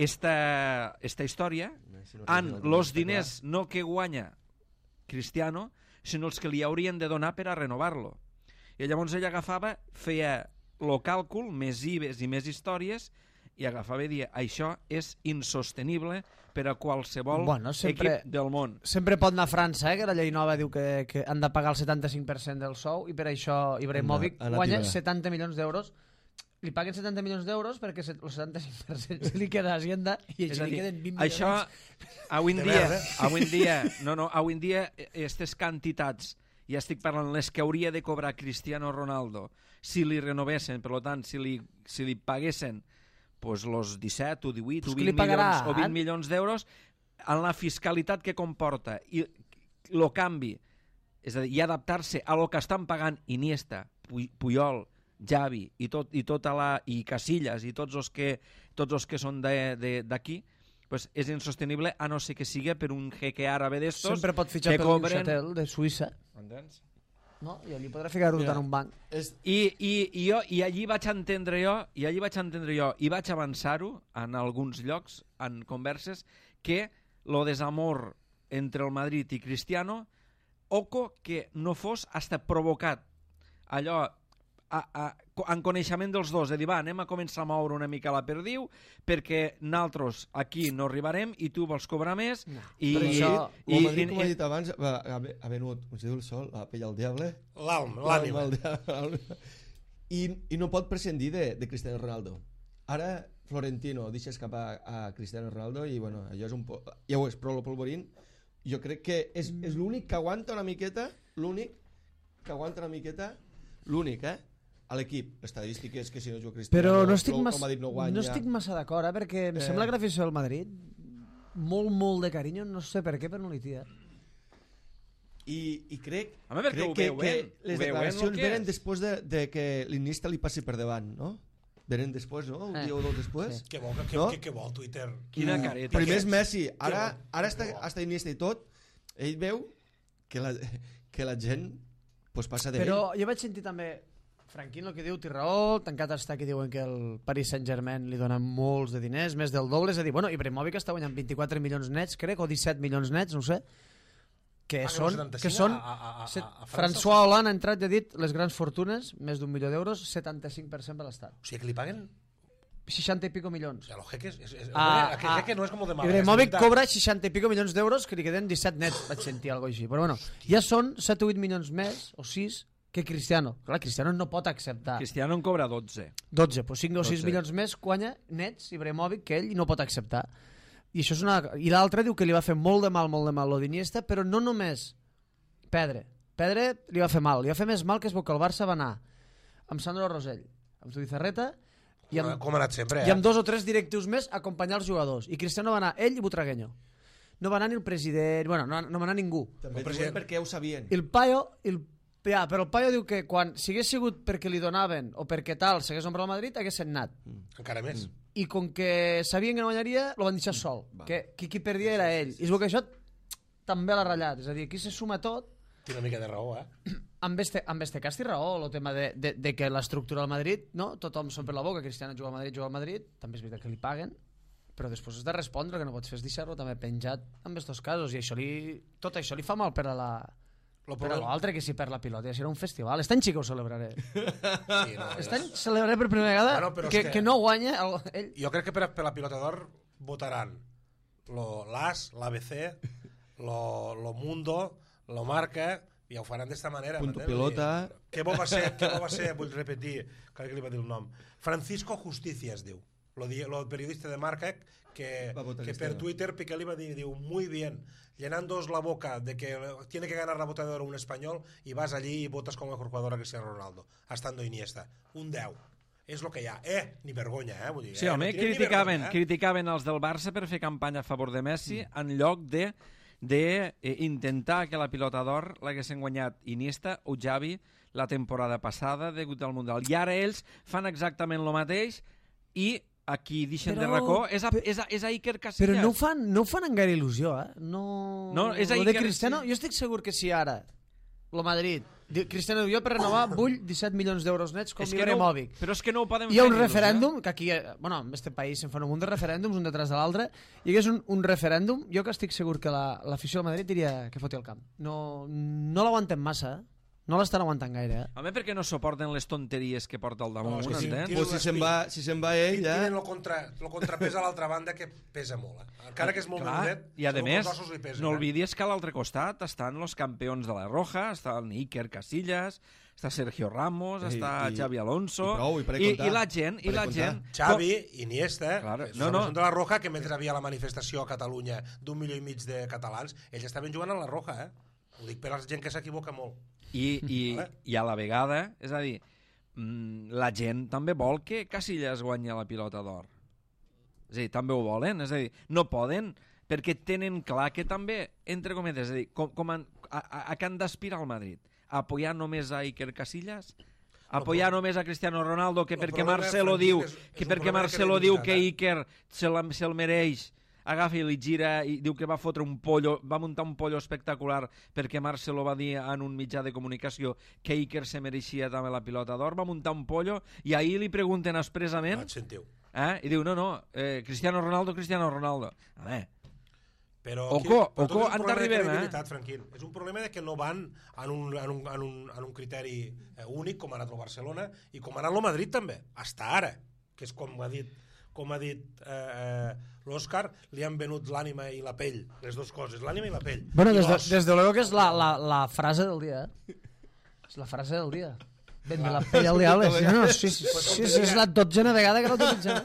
esta història en els diners no que guanya Cristiano, sinó els que li haurien de donar per a renovar-lo. I llavors ell agafava, feia el càlcul, més IVEs i més històries, i agafava i dia: això és insostenible per a qualsevol equip del món. Sempre pot anar a França, que la llei nova diu que han de pagar el 75% del sou, i per això Ibrahimovic guanya 70 milions d'euros li paguen 70 milions d'euros perquè el 75% se li queda a Hacienda i És se a li dir, queden 20 milions. això, avui en dia, aquestes quantitats, ja estic parlant les que hauria de cobrar Cristiano Ronaldo, si li renovessin, per tant, si li paguessin pues, los 17 o 18 o 20 milions d'euros, en la fiscalitat que comporta i el canvi, és a dir, i adaptar-se a lo que estan pagant Iniesta, Puyol, Xavi i Casillas i tots els que són d'aquí, pues és insostenible a no ser que sigui per un jeque àrabe d'estos sempre pot fitxar per Neuchâtel de Suïssa. Entens? No? I allí podrà ficar-ho en un banc. I allí vaig entendre jo i vaig avançar-ho en alguns llocs, en converses, que lo desamor entre el Madrid i Cristiano, oco que no fos hasta provocat allò en coneixement dels dos, de dir, va, anem a començar a moure una mica la perdiu perquè nosaltres aquí no arribarem i tu vols cobrar més. No. Però això, el Madrid, com ha dit abans, ha venut, com si diu el sol, a pell al diable. L'ànima. I no pot prescindir de Cristiano Ronaldo. Ara Florentino deixa escapar a Cristiano Ronaldo i bueno, allò és un ja ho és, però el Polvorín jo crec que és l'únic que aguanta una miqueta, l'únic, a l'equip. L'estadística és que si no juga Cristiano, però no estic, no estic massa d'acord, perquè em sembla que l'afició del Madrid molt de carinyo, no sé per què, però no li tia. I crec, que les declaracions venen després de que l'Iniesta li passi per davant, no? Venen després, no? Un dia o dos després. Sí. Què vol Twitter? Quina careta. Primer és Messi, ara està Iniesta i tot, ell veu que la gent pues, passa d'ell. Però jo vaig sentir també Franquín, el que diu, té raó, tancat està que diuen que el Paris Saint-Germain li donen molts de diners, més del doble, és a dir, bueno, Ibrahimovic està guanyant 24 milions nets, crec, o 17 milions nets, no ho sé, que són François Hollande ha entrat i ha dit les grans fortunes, més d'1 milió d'euros, 75% per l'Estat. O sigui que li paguen 60 y pico milions. O sea, los jeques, aquell jeque no és com de mal. Ibrahimovic cobra 60 y pico milions d'euros que li queden 17 nets, vaig sentir alguna cosa així. Però bueno, ja són 7 o 8 milions més, o 6, que Cristiano. Clar, Cristiano no pot acceptar. Cristiano en cobra 12. 12, pues 5 o 6 milions més guanya nets Ibrahimovic que ell no pot acceptar. I això és una... I l'altre diu que li va fer molt de mal lo d'Iniesta, però no només Pedre li va fer mal. Li va fer més mal que es veu que el Barça va anar amb Sandro Rosell, amb Zubizarreta i amb, com ha anat sempre, i amb 2 o 3 directius més a acompanyar els jugadors. I Cristiano va anar ell i Butragueño. No va anar ni el president, bueno, no va anar ningú. També diuen perquè ho sabien. El Payo, però el Payo diu que quan si hagués sigut perquè li donaven o perquè tal s'hagués ombrat al Madrid hagués anat. Encara més. I com que sabien que no guanyaria lo van deixar sol, que qui perdia era ell. I es veu que això també l'ha ratllat, és a dir, aquí se suma tot. Té una mica de raó, amb este cas té raó el tema de que l'estructura del Madrid, no? Tothom són per la boca, Cristiano juga al Madrid, també és veritat que li paguen, però després has de respondre, el que no pots fer és deixar-lo també penjat en aquests casos, i tot això li fa mal per a l'altre, que si per la pilota ja serà un festival. Aquest any sí que ho celebraré. Sí, no, aquest any celebraré per primera vegada que no guanya ell. Jo crec que per la pilota d'or votaran l'AS, l'ABC, lo Mundo, lo Marca, i ho faran d'esta manera. Punto pilota. Què bo va ser, vull repetir, crec que li va dir el nom, Francisco Justicia es diu, el periodista de Marca que per Twitter Piqué li va dir, diu, muy bien, llenándoos la boca de que tiene que ganar la bota de oro un español y vas allí y votas como mejor jugador a Cristiano Ronaldo, estando Iniesta. Un 10. És el que hi ha. Ni vergonya, vull dir. Sí, home, criticaven els del Barça per fer campanya a favor de Messi en lloc d'intentar que la pilota d'or l'haguessin guanyat Iniesta o Xavi la temporada passada degut al Mundial. I ara ells fan exactament el mateix i a qui deixen de racó és a Iker Casillas. Però no ho fan amb gaire il·lusió, No, és a Iker... de Cristiano, jo estic segur que si ara el Madrid, Cristiano diu, jo per renovar vull 17 milions d'euros nets com Ibrahimovic. Però és que no ho podem fer. Hi ha un referèndum, que aquí, bueno, en este país se'n fan un munt de referèndums, un detrás de l'altre, i hi hagués un referèndum, jo que estic segur que l'afició del Madrid diria que foti al camp. No l'aguantem massa, No l'estan aguantant gaire, Home, perquè no suporten les tonteries que porta al damunt, és que entens? Pues si se'n va ell, ja... Tienen el contrapès a l'altra banda que pesa molt. Encara que és molt menudet, I a més, pesen, no oblidis que a l'altre costat estan els campions de la Roja, està el Iker Casillas, està Sergio Ramos, està Xavi Alonso... I la gent... Xavi, Iniesta, Claro, són de la Roja, que mentre havia la manifestació a Catalunya d'1,5 milió de catalans, ells estaven jugant a la Roja, Ho dic per a la gent que s'equivoca molt. I a la vegada, és a dir, la gent també vol que Casillas guanyi la pilota d'or. És a dir, també ho volen, és a dir, no poden, perquè tenen clar que també, entre cometes, és a dir, a què han d'aspirar al Madrid? A apoyar només a Iker Casillas? A apoyar només a Cristiano Ronaldo, que perquè Marcelo diu que Iker se'l mereix, agafa i li gira i diu que va fotre un pollo, va muntar un pollo espectacular perquè Marcelo va dir en un mitjà de comunicació que Iker se mereixia també la pilota d'or, va muntar un pollo i ahir li pregunten expressament i diu, no, Cristiano Ronaldo. A veure, però Oco, han d'arribar, és un problema de que no van en un criteri únic com ha anat el Barcelona i com ha anat el Madrid també, hasta ara, que és com ha dit l'Òscar, li han venut l'ànima i la pell, les dues coses, l'ànima i la pell. Bueno, des de luego que és la frase del dia, És la frase del dia. Vende la pell al diable. Sí, és la dotzena vegada que l'utilitzem.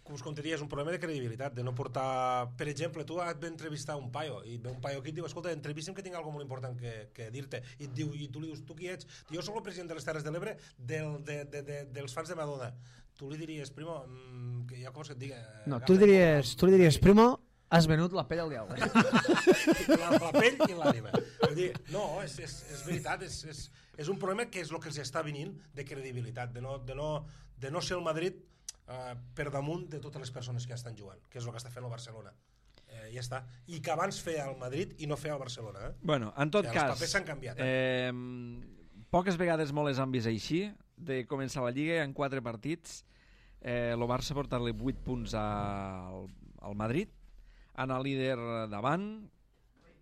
Com us contaria, és un problema de credibilitat, de no portar... Per exemple, tu et ve entrevistar un paio, i ve un paio aquí i et diu, escolta, entrevista'm que tinc alguna molt important que dir-te. I tu li dius, tu qui ets? Jo soc el president de les Terres de l'Ebre dels fans de Madonna. Tu li diries, primo, que jo com es que et diga... No, tu li diries, primo, has venut la pell al diable. La pell i l'ànima. No, és veritat, és un problema que és el que els està venint de credibilitat, de no ser el Madrid per damunt de totes les persones que estan jugant, que és el que està fent el Barcelona. Ja està. I que abans feia el Madrid i no feia el Barcelona. Bueno, en tot cas... Els papers s'han canviat. Poques vegades molt les han vist així, de començar la Lliga en 4 partits. El Barça ha portat-li 8 punts al Madrid, anar líder davant,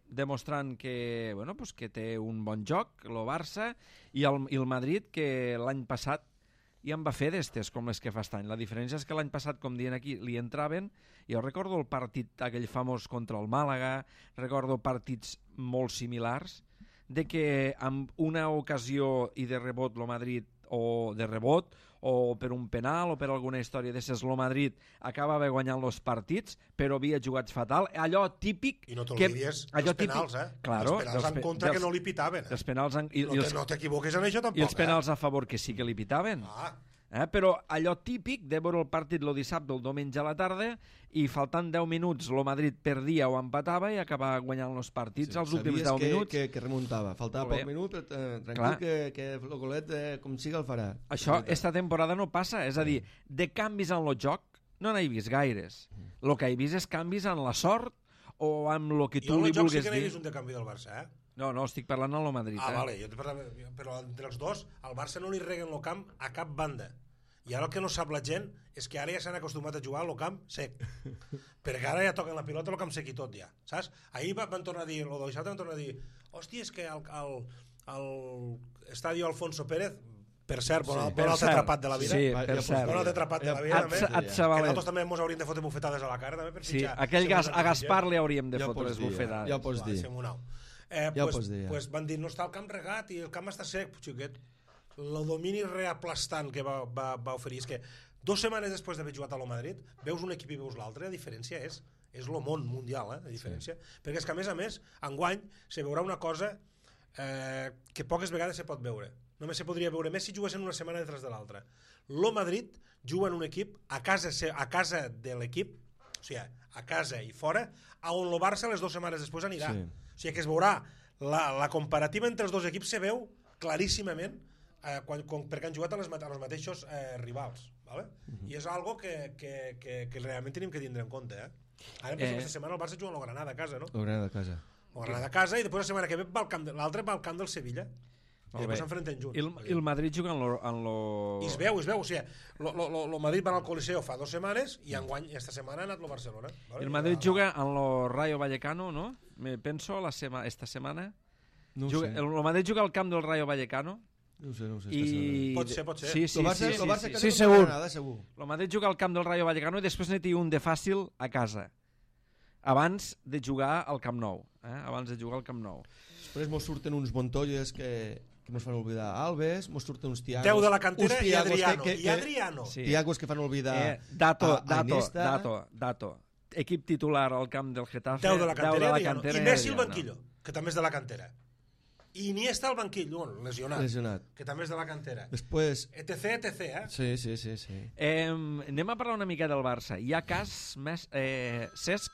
demostrant que, que té un bon joc, el Barça, i el Madrid, que l'any passat i en va fer d'estes com les que fa aquest any. La diferència és que l'any passat, com diuen aquí, li entraven. Jo recordo el partit aquell famós contra el Màlaga, recordo partits molt similars, de que amb una ocasió i de rebot el Madrid, o de rebot, o per un penal, o per alguna història d'esses, el Madrid acabava guanyant els partits, però havia jugat fatal. Allò típic... I no t'oblidies dels penals, Claro, els penals en contra que no li pitaven. Els penals no t'equivoques en això tampoc. I els penals a favor que sí que li pitaven. Però allò típic de veure el partit el dissabte o el diumenge a la tarda i faltant 10 minuts el Madrid perdia o empatava i acabava guanyant els partits als últims 10 minuts. Sabies que remuntava, faltava poc minut, tranquil que el golet com siga el farà. Això esta temporada no passa, és a dir, de canvis en el joc no n'he vist gaires. El que he vist és canvis en la sort o amb el que tu li vulguis dir. Jo en el joc sí que n'he vist un de canvi del Barça, No, estic parlant del Madrid. Vale, però entre els dos, al Barça no li reguen el camp a cap banda. I ara el que no sap la gent és que ara ja s'han acostumat a jugar al camp sec. Perquè ara ja toquen la pilota al camp sec i tot ja, saps? Ahir van tornar a dir, o dissabte van tornar a dir, hòstia, és que al estadio Alfonso Pérez, per cert, bon altre atrapat de la vida. Sí, per cert. Bon altre atrapat de la vida, també. Que nosaltres també ens hauríem de fotre bufetades a la cara, també, per fitxar. Sí, a Gaspar li hauríem de fotre les bufetades. Ja ho pots dir. Pues van dir, no està el camp regat i el camp està sec, xiquet. El domini reaplastant que va oferir és que 2 setmanes després d'haver jugat a lo Madrid veus un equip i veus l'altre, la diferència és el món mundial, la diferència. Perquè és que a més, enguany se veurà una cosa que poques vegades se pot veure. Només se podria veure més si juguessin una setmana detrás de l'altra. Lo Madrid juga en un equip a casa de l'equip, o sigui, a casa i fora, on el Barça les 2 setmanes després anirà. O sigui que es veurà la comparativa entre els dos equips se veu claríssimament perquè han jugat als mateixos rivals, ¿vale? I és algo que realment tenim que tindre en compte. Ara aquesta setmana el Barça juga amb el Granada a casa, no? El Granada a casa. El Granada a casa i després la setmana que ve l'altre va al camp del Sevilla i després s'enfrenten junts. I el Madrid juga en lo... I es veu, o sigui, el Madrid va al Coliseo fa 2 setmanes i enguany esta setmana ha anat el Barcelona. El Madrid juga en lo Rayo Vallecano, no? Me penso esta setmana. No ho sé. El Madrid juga al camp del Rayo Vallecano. No ho sé. Pot ser. Sí. El Barça sí, segur. segur. El Madrid juga al camp del Rayo Vallecano i després n'hi té un de fàcil a casa. Abans de jugar al Camp Nou. Després mos surten uns Montolles que mos fan oblidar Alves, mos surten uns Tiagos. 10 de la cantera i Tiagos Adriano. Sí. Tiagos que fan oblidar Dato. Equip titular al camp del Getafe. 10 de la cantera i Adriano. I Messi al Adriano. banquillo, que també és de la cantera. I Iniesta al banquill, lesionat, que també és de la cantera. Després... etc, Sí. Anem a parlar una mica del Barça. Hi ha cas Cesc?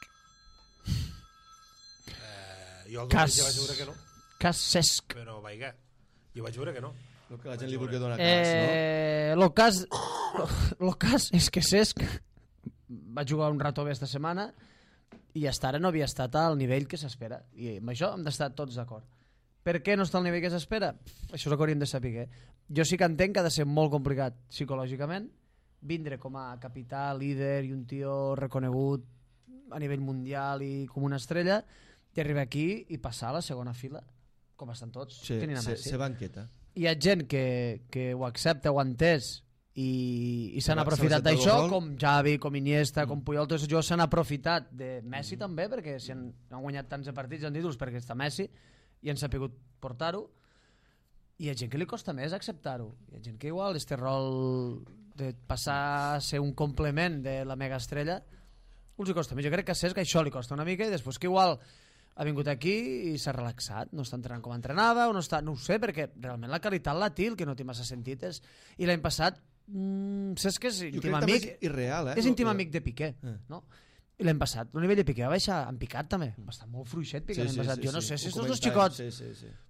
Jo el Cas. vaig veure que no, Cas Cesc. però vaiga, jo vaig veure que no. El que la gent li vulgui donar cas, Lo cas és que Cesc va jugar un rato bé esta setmana i hasta ara no havia estat al nivell que s'espera. I amb això hem d'estar tots d'acord. Per què no està al nivell que s'espera? Això és el que hauríem de saber. Jo sí que entenc que ha de ser molt complicat psicològicament vindre com a capità, líder i un tio reconegut a nivell mundial i com una estrella i arribar aquí i passar a la segona fila com estan tots tenint a Messi. Se banqueta. Hi ha gent que ho accepta, ho ha entès i s'han aprofitat s'ha acceptat d'això, el rol. com Xavi, com Iniesta, com Puyol, tots els jugadors s'han aprofitat de Messi també, perquè si han guanyat tants de partits en títols perquè està Messi i han sapigut portar-ho. Hi ha gent que li costa més acceptar-ho. Hi ha gent que igual este rol de passar a ser un complement de la mega estrella els hi costa més. Jo crec que a Cesc això li costa una mica i després que igual ha vingut aquí i s'ha relaxat, no està entrenant com entrenava o no està, no ho sé, perquè realment la qualitat la té, el que no té massa sentit és... I l'any passat Cesc és íntim amic, és irreal, és íntim amic de Piqué, no? I l'any passat el nivell de Piqué va baixar en picat també, va estar molt fluixet Piqué l'any passat. Jo no sé si els dos xicots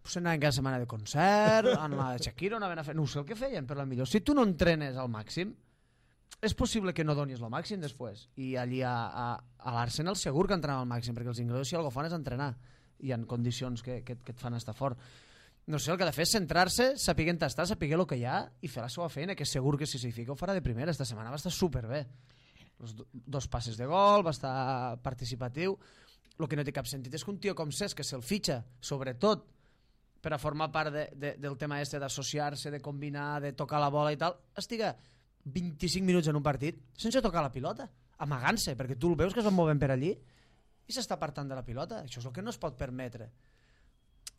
pues anaven cada setmana de concert, en la Shakira anaven a fer, no sé el que feien, però millor si tu no entrenes al màxim és possible que no donis el màxim després. I allí a l'Arsenal segur que entrenen al màxim, perquè els inglesos si algo fan és entrenar i en condicions que et fan estar fort. No sé, el que ha de fer és centrar-se, saber tastar, saber el que hi ha i fer la seva feina, que segur que si s'hi fica ho farà de primera. Esta setmana va estar superbé. Els 2 passes de gol, va estar participatiu. El que no té cap sentit és que un tio com Cesc, que se'l fitxa, sobretot per a formar part del tema d'associar-se, de combinar, de tocar la bola i tal, estiga 25 minuts en un partit sense tocar la pilota, amagant-se, perquè tu el veus que es va movent per allí i s'està apartant de la pilota. Això és el que no es pot permetre.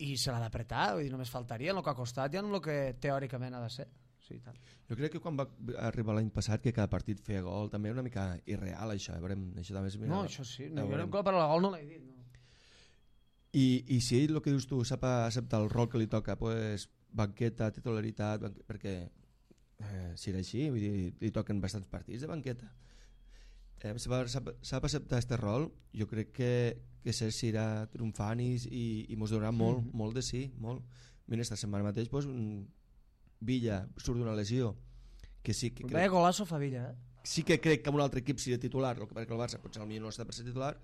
I se l'ha d'apretar, vull dir, només faltaria en el que ha costat i en el que teòricament ha de ser. Sí, tant. Jo crec que quan va arribar l'any passat que cada partit feia gol també era una mica irreal això, això també és... No, això sí, jo la paraula gol no l'he dit. No. I si ell, el que dius tu, sap acceptar el rol que li toca, pues, banqueta, titularitat, perquè si era així, vull dir, li toquen bastants partits de banqueta. Sap acceptar aquest rol, jo crec que Cesc irà triomfant i mos donarà molt de sí, molt. Mira, esta setmana mateix pues, Villa surt d'una lesió que sí que crec, golazo fa Villa, sí que crec que amb un altre equip seria titular, perquè el Barça potser potser no està per ser titular.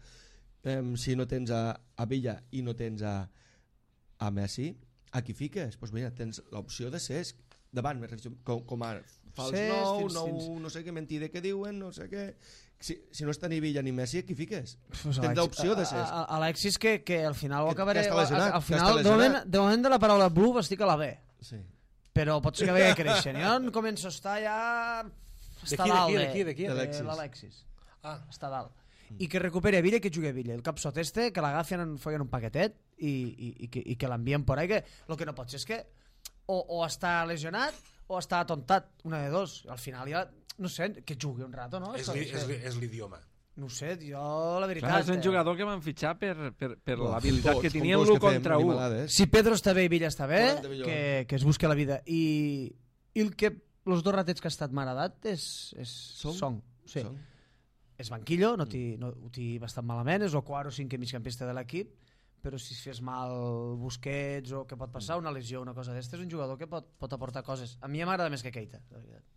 Si no tens a Villa i no tens a Messi, a qui fiques? Pues mira, tens l'opció de Cesc davant, com a fals no sé què mentida que diuen, no sé què. Si no està ni Villa ni Messi, qui fiques? Tens l'opció de Cesc. Alexis que al final ho acabaré... Al final, de moment de la paraula blue estic a la B. Sí. Però pot ser que vegi creixent. Jo començo a estar ja... Està dalt. De qui? L'Alexis. Està dalt. I que recuperi a Villa i que jugui a Villa. El capsot este, que l'agafien en un paquetet i que l'envien por ahí. Que el que no pot ser és que o està lesionat o està atontat, una de dos. Al final ja, no sé, que jugui un rato, no? És l'idioma. No sé, jo la veritat... Clar, és un jugador que van fitxar per l'habilitat que tenia l'1 contra 1. Si Pedro està bé i Villa està bé, que es busqui la vida. I el que els 2 ratets que ha estat maradat és Song. Sí. És banquillo, no ho té bastant malament, és el 4 o 5 migcampista de l'equip, però si es fes mal Busquets o què pot passar, una lesió, una cosa d'esta, és un jugador que pot aportar coses. A mi m'agrada més que Keita, la veritat.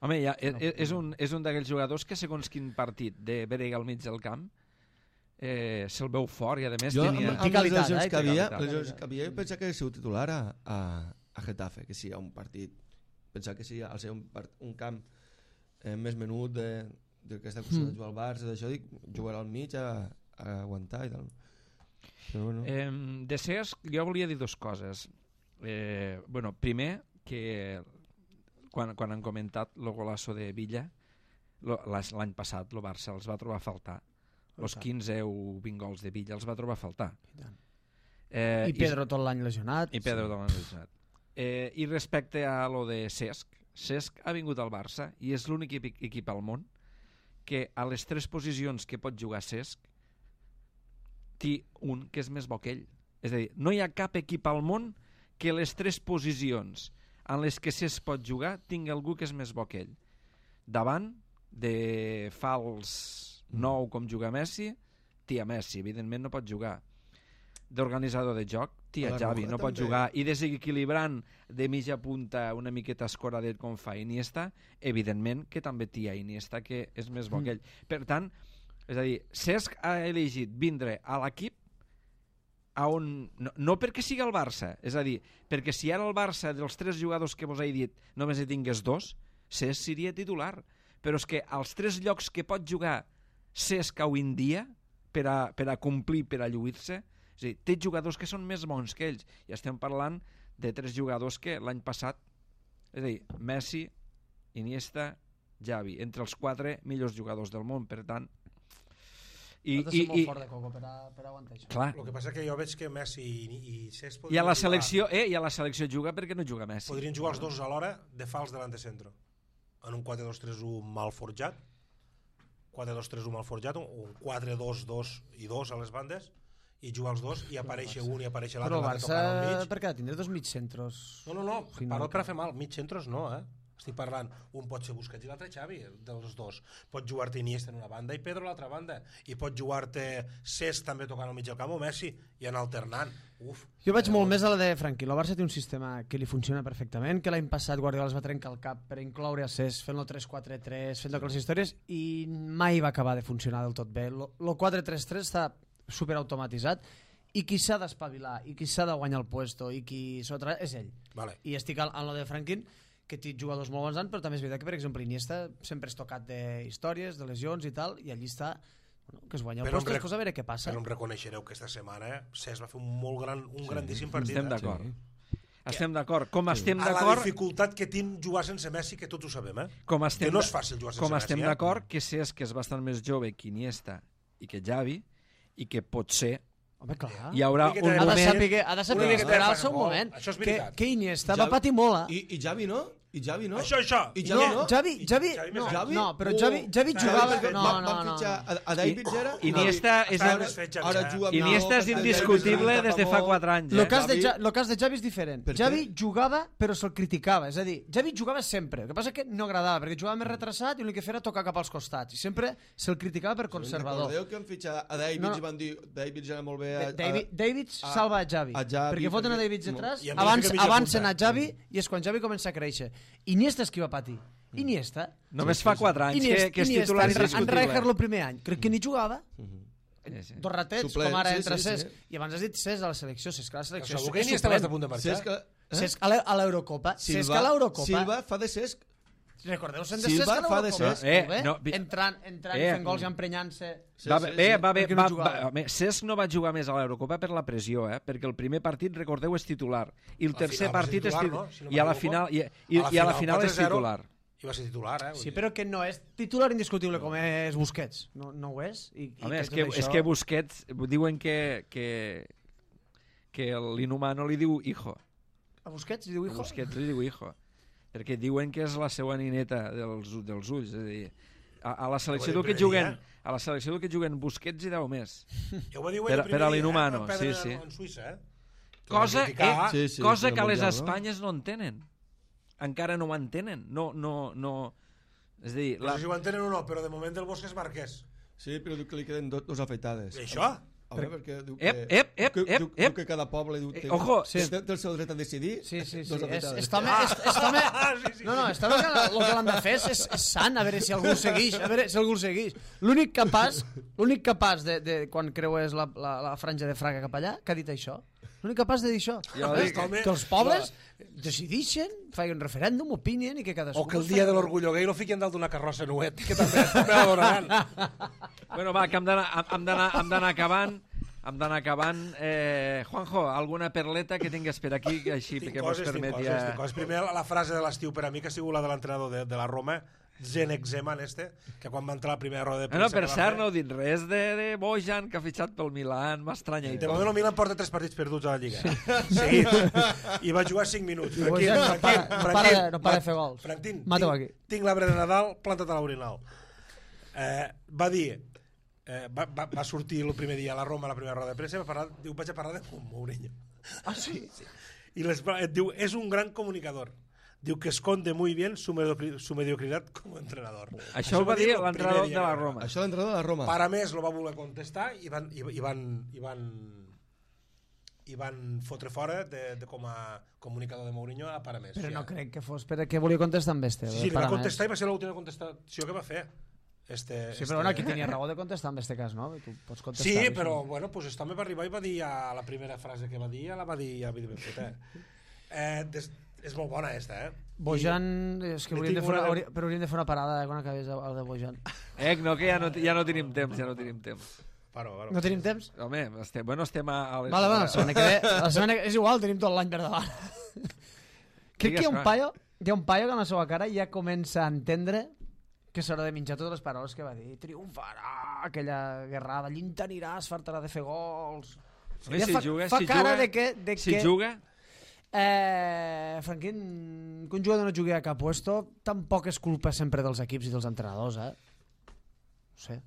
Home, ja, és un d'aquells jugadors que segons quin partit de Berega al mig del camp se'l veu fort i a més tenia... Amb les lesions que havia, jo pensava que era el seu titular a Getafe, que sí, a un partit. Pensava que sí, al ser un camp més menut del que està acostumat a jugar al Barça, d'això, dic, jugarà al mig a aguantar i tal. Però bueno. De Cesc, jo volia dir dues coses. Primer, que quan han comentat el golasso de Villa, l'any passat el Barça els va trobar a faltar. Els 15 o 20 gols de Villa els va trobar a faltar. I Pedro tot l'any lesionat. I respecte a lo de Cesc ha vingut al Barça i és l'únic equip al món que a les 3 posicions que pot jugar Cesc té un que és més bo que ell. És a dir, no hi ha cap equip al món que les 3 posicions en les que Cesc pot jugar tingui algú que és més bo que ell. Davant, de fals 9 com juga Messi, té a Messi, evidentment no pot jugar. D'organitzador de joc, té a Xavi, no pot jugar. I desequilibrant de mitja punta una miqueta escoradet com fa Iniesta, evidentment que també té a Iniesta, que és més bo que ell. Per tant, és a dir, Cesc ha elegit vindre a l'equip on, no perquè sigui el Barça, és a dir, perquè si ara el Barça dels 3 jugadors que vos he dit només hi tingués 2, Cesc seria titular. Però és que als 3 llocs que pot jugar Cesc avui en dia per a complir, per a lluir-se, és a dir, té jugadors que són més bons que ells, i estem parlant de 3 jugadors que l'any passat, és a dir, Messi, Iniesta, Xavi, entre els 4 millors jugadors del món. Per tant, I molt fort de coco per aguantar això. Clar. El que passa que jo veig que Messi i Cesc I a la selecció juga perquè no juga Messi. Podrien jugar els dos alhora de fals davant de centre, en un 4-2-3-1 mal forjat, 4-2-3-1 mal forjat, un 4-2-2 i 2 a les bandes, i jugar els dos i aparèixer un i aparèixer l'altre. Però el Barça, per què? Tindré 2 mig centros. No, parlo per a fer mal. Mig centros no, Estic parlant, un pot ser Busquets i l'altre Xavi, dels dos. Pot jugar-te Iniesta en una banda i Pedro a l'altra banda. I pot jugar-te Cesc també tocant al mig del camp o Messi i anar alternant. Jo vaig molt més a la de Franqui. El Barça té un sistema que li funciona perfectament, que l'any passat Guardiola es va trencar el cap per incloure a Cesc fent-lo 3-4-3, fent aquelles històries, i mai va acabar de funcionar del tot bé. El 4-3-3 està superautomatitzat, i qui s'ha d'espavilar, i qui s'ha de guanyar el puesto, i qui és ell. Vale. I estic en lo de Franquin, que té jugadors molt bons, però també és veritat que, per exemple, Iniesta sempre és tocat d'històries, de lesions i tal, i allí està, que es guanya el puesto, després a veure què passa. Però em reconeixereu que esta setmana Cesc va fer un grandíssim partit. Estem d'acord. Estem d'acord. Com estem d'acord... A la dificultat que tinc jugar sense Messi, que tots ho sabem, que no és fàcil jugar sense Messi. Com estem d'acord que Cesc és bastant més jove que Iniesta i que Xavi, i que potser home, clar. Hi haurà un moment... Ha de saber esperar-se un moment. Això és veritat. Que Iniesta va patir molt, I Xavi no? Això. I Xavi no? Xavi no, però Xavi jugava... Van fitxar a David Gera? Iniesta és indiscutible des de fa 4 anys. El cas de Xavi és diferent. Xavi jugava, però se'l criticava. És a dir, Xavi jugava sempre. El que passa és que no agradava, perquè jugava més retrasat i l'únic que feia era tocar cap als costats. I sempre se'l criticava per conservador. Recordeu que han fitxat a David i van dir David era molt bé... David salva a Xavi. Perquè foten a David atrás, avancen a Xavi, i és quan Xavi comença a créixer. Iniesta és qui va patir. Iniesta. Només fa 4 anys que és titular indiscutible. En Rijkaard el primer any. Crec que ni jugava. Dos ratets, com ara entre Cesc. I abans has dit Cesc a la selecció. Cesc a la selecció. Segur que Iniesta va estar a punt de marxar. Cesc a l'Eurocopa. Cesc a l'Eurocopa. Silva fa de Cesc. Recordeu-se'n de Cesc a l'Eurocopa? Entrant i fent gols i emprenyant-se. Cesc no va jugar més a l'Eurocopa per la pressió, perquè el primer partit, recordeu, és titular, i el tercer partit és titular, i a la final és titular. I va ser titular, Sí, però que no és titular indiscutible com és Busquets. No ho és. És que Busquets diuen que l'inhumano li diu hijo. A Busquets li diu hijo? A Busquets li diu hijo. Perquè diuen que és la seva nineta dels ulls, és a dir, a la selecció del que juguen Busquets i 10 més per a l'inhumano, sí. Cosa que a les Espanyes no entenen, encara no ho entenen, no, és a dir... No sé si ho entenen o no, però de moment el Bosque és Marquès. Sí, però diu que li queden dos afeitades. I això? Perquè diu que cada poble té el seu dret a decidir. Sí. Està bé. No, el que l'han de fer és sant, a veure si algú el segueix. L'únic capaç de quan creues la franja de Fraga cap allà, que ha dit això. L'únic capaç de dir això. Que els pobles decidixen, feien un referèndum, opinien i que cadascú... O que el dia de l'orgullo gay lo fiquen dalt d'una carrossa nuet, que també l'adoraran. Bueno, va, que hem d'anar acabant. hem d'anar acabant. Juanjo, alguna perleta que tingues per aquí així que mos permeti... Tinc coses. Primer, la frase de l'estiu per a mi, que ha sigut la de l'entrenador de la Roma, Zdeněk Zeman, que quan va entrar a la primera roda de premsa... No, per cert, no heu dit res de Bojan, que ha fitxat pel Milan, m'estranya. De moment el Milan porta 3 partits perduts a la Lliga. Seguits. I va jugar 5 minuts. No para de fer gols. Franquín, Mata-ho aquí. tinc l'arbre de Nadal, planta't a l'orinal. Va dir... Va sortir el primer dia a la Roma, a la primera roda de premsa, diu, vaig a parlar de Mourinho. Ah, sí? I diu, és un gran comunicador. Diu que esconde muy bien su mediocridad como entrenador. Això ho va dir l'entrenador de la Roma. Això l'entrenador de la Roma. Para més lo va voler contestar i van fotre fora com a comunicador de Mourinho a Paramés. Però no crec que fos perquè volia contestar amb este. Sí, li va contestar i va ser l'última contestació que va fer. Sí, però aquí tenia raó de contestar en este cas, no? Tu pots contestar. Sí, però bueno, pues este home va arribar i va dir la primera frase que va dir, la va dir ben feta. És molt bona, Bojan, és que hauríem de fer una parada quan acabés el de Bojan. No, que ja no tenim temps, Paro. No tenim temps? Home, estem a... Vale, la setmana que ve, és igual, tenim tot l'any per davant. Crec que hi ha un paio que amb la seva cara ja comença a entendre que s'haurà de menjar totes les paraules que va dir. Triomfarà, aquella guerrada, llintaniràs, fartarà de fer gols... Fa cara de que... Si juga... Franquín, que un jugador no jugui a cap puesto tampoc és culpa sempre dels equips i dels entrenadors, no sé.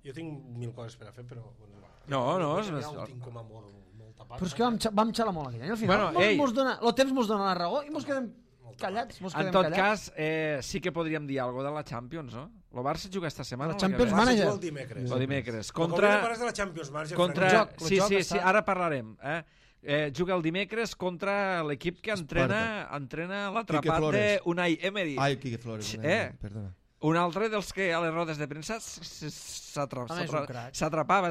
Jo tinc 1000 coses per a fer, però... No, ho tinc com a molt tapat. Però és que vam xalar molt aquell any. Al final, el temps mos dona la raó i mos quedem callats. En tot cas, sí que podríem dir alguna de la Champions, no? El Barça juga esta setmana. La Champions Manager. El dimecres. Com que parles de la Champions Manager, sí, ara parlarem, juga el dimecres contra l'equip que entrena l'atrapat d'Unai Emery. Ai, Quique Flores, perdona. Un altre dels que a les rodes de premsa s'atrapava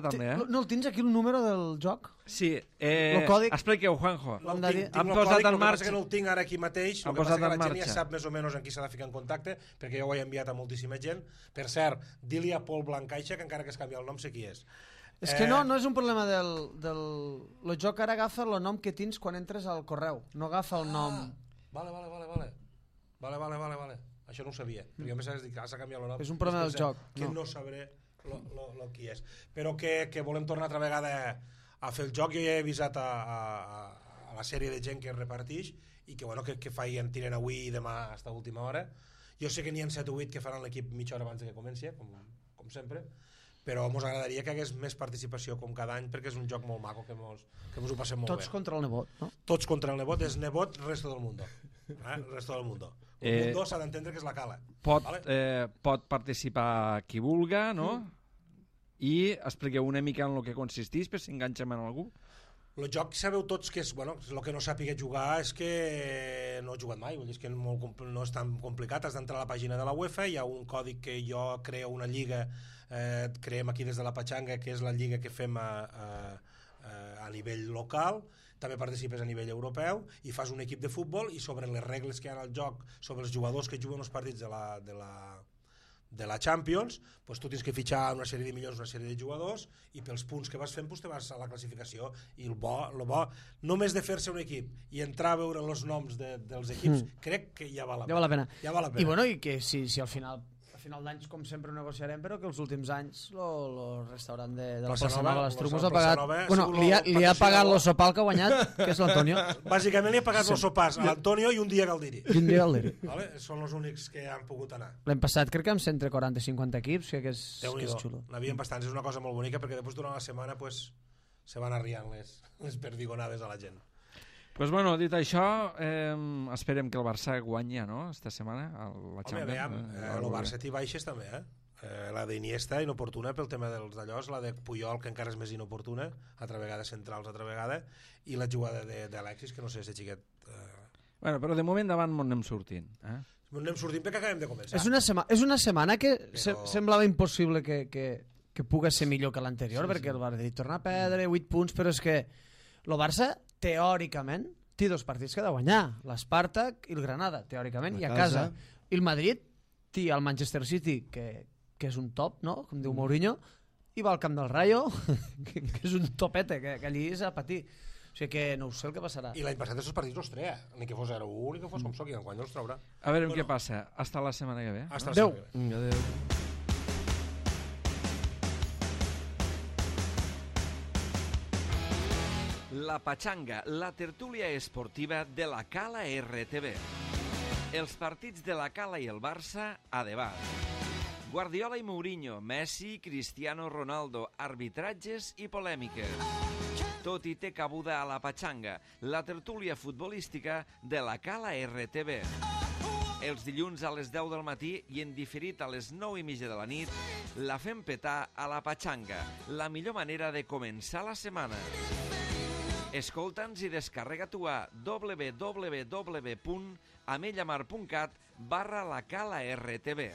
també. No el tens aquí el número del joc? Sí. Expliqueu, Juanjo. Tinc el còdic, el que passa que no el tinc ara aquí mateix, el que passa que la gent ja sap més o menys en qui s'ha de ficar en contacte, perquè jo ho he enviat a moltíssima gent. Per cert, di-li a Pol Blancaixa, que encara que es canvia el nom sé qui és. És que no és un problema del... El joc ara agafa el nom que tens quan entres al correu, no agafa el nom... Vale. Això no ho sabia, perquè a més has dit que s'ha canviat el nom. És un problema del joc. Que no sabré qui és. Però que volem tornar altra vegada a fer el joc. Jo ja he avisat a la sèrie de gent que es reparteix i que tiren avui i demà fins a última hora. Jo sé que n'hi ha 7 o 8 que faran l'equip mitja hora abans que comenci, com sempre, però ens agradaria que hagués més participació com cada any, perquè és un joc molt maco que ens ho passem molt bé. Tots contra el nebot, no? Tots contra el nebot, és nebot resto del mundo. Resto del mundo. El mundo s'ha d'entendre que és la cala. Pot participar qui vulga, no? I expliqueu una mica en el que consisteix per si enganxem en algú. El joc sabeu tots que és, el que no sàpiga jugar és que no he jugat mai, vull dir, és que no és tan complicat, has d'entrar a la pàgina de la UEFA, hi ha un còdic que jo creo una lliga, creem aquí des de la Patxanga, que és la lliga que fem a nivell local, també participes a nivell europeu i fas un equip de futbol i sobre les regles que hi ha al joc, sobre els jugadors que juguen els partits de la Champions, pues tu tens que fitxar una sèrie de milions, una sèrie de jugadors i pels punts que vas fent pues te vas a la classificació i el bo només de fer-se un equip i entrar a veure els noms dels equips crec que ja val la pena. I que si al final d'anys com sempre ho negociarem, però que els últims anys el restaurant de la Plaça Nova les Trumos ha pagat li ha pagat el sopar que ha guanyat, que és l'Antonio. Bàsicament li ha pagat els sopars a l'Antonio i un dia Galdiri. Són els únics que han pogut anar. L'any passat crec que amb entre 40 i 50 equips, que és xulo. N'havien bastants, és una cosa molt bonica perquè després durant la setmana se van arriant les perdigonades a la gent. Pues bueno, dit això, esperem que el Barça guanyi, no?, esta setmana, la Champions. El Barça té baixes també, la d'Iniesta, inoportuna pel tema dels d'allòs, la de Puyol, que encara és més inoportuna, altra vegada centrals, altra vegada, i la jugada d'Alexis, que no sé si xiquet... Bueno, però de moment davant m'on anem sortint. Anem sortint perquè acabem de començar. És una setmana que semblava impossible que pugui ser millor que l'anterior, perquè el Barça torna a perdre 8 punts, però és que el Barça teòricament té 2 partits que ha de guanyar, l'Spartak i el Granada, teòricament, i a casa. I el Madrid té el Manchester City, que és un top, no?, com diu Mourinho, i va al camp del Rayo, que és un topete, que allí és a patir. O sigui que no sé el que passarà. I l'any passat aquests partits no els treia, ni que fos 0-1, ni que fos com soc, i enguany no els traurà. A veure què passa. Hasta la setmana que ve. Hasta la Adéu. setmana que ve. Adéu. La Pachanga, la tertúlia esportiva de la Cala RTV. Els partits de la Cala i el Barça a debat. Guardiola i Mourinho, Messi, Cristiano Ronaldo, arbitratges i polèmiques. Tot hi té cabuda a la Pachanga, la tertúlia futbolística de la Cala RTV. Els dilluns a les 10 del matí i en diferit a les 9:30 de la nit, la fem petar a la Pachanga, la millor manera de començar la setmana. Escolta'ns i descarrega-t'ho a www.amellamar.cat/la Cala RTV.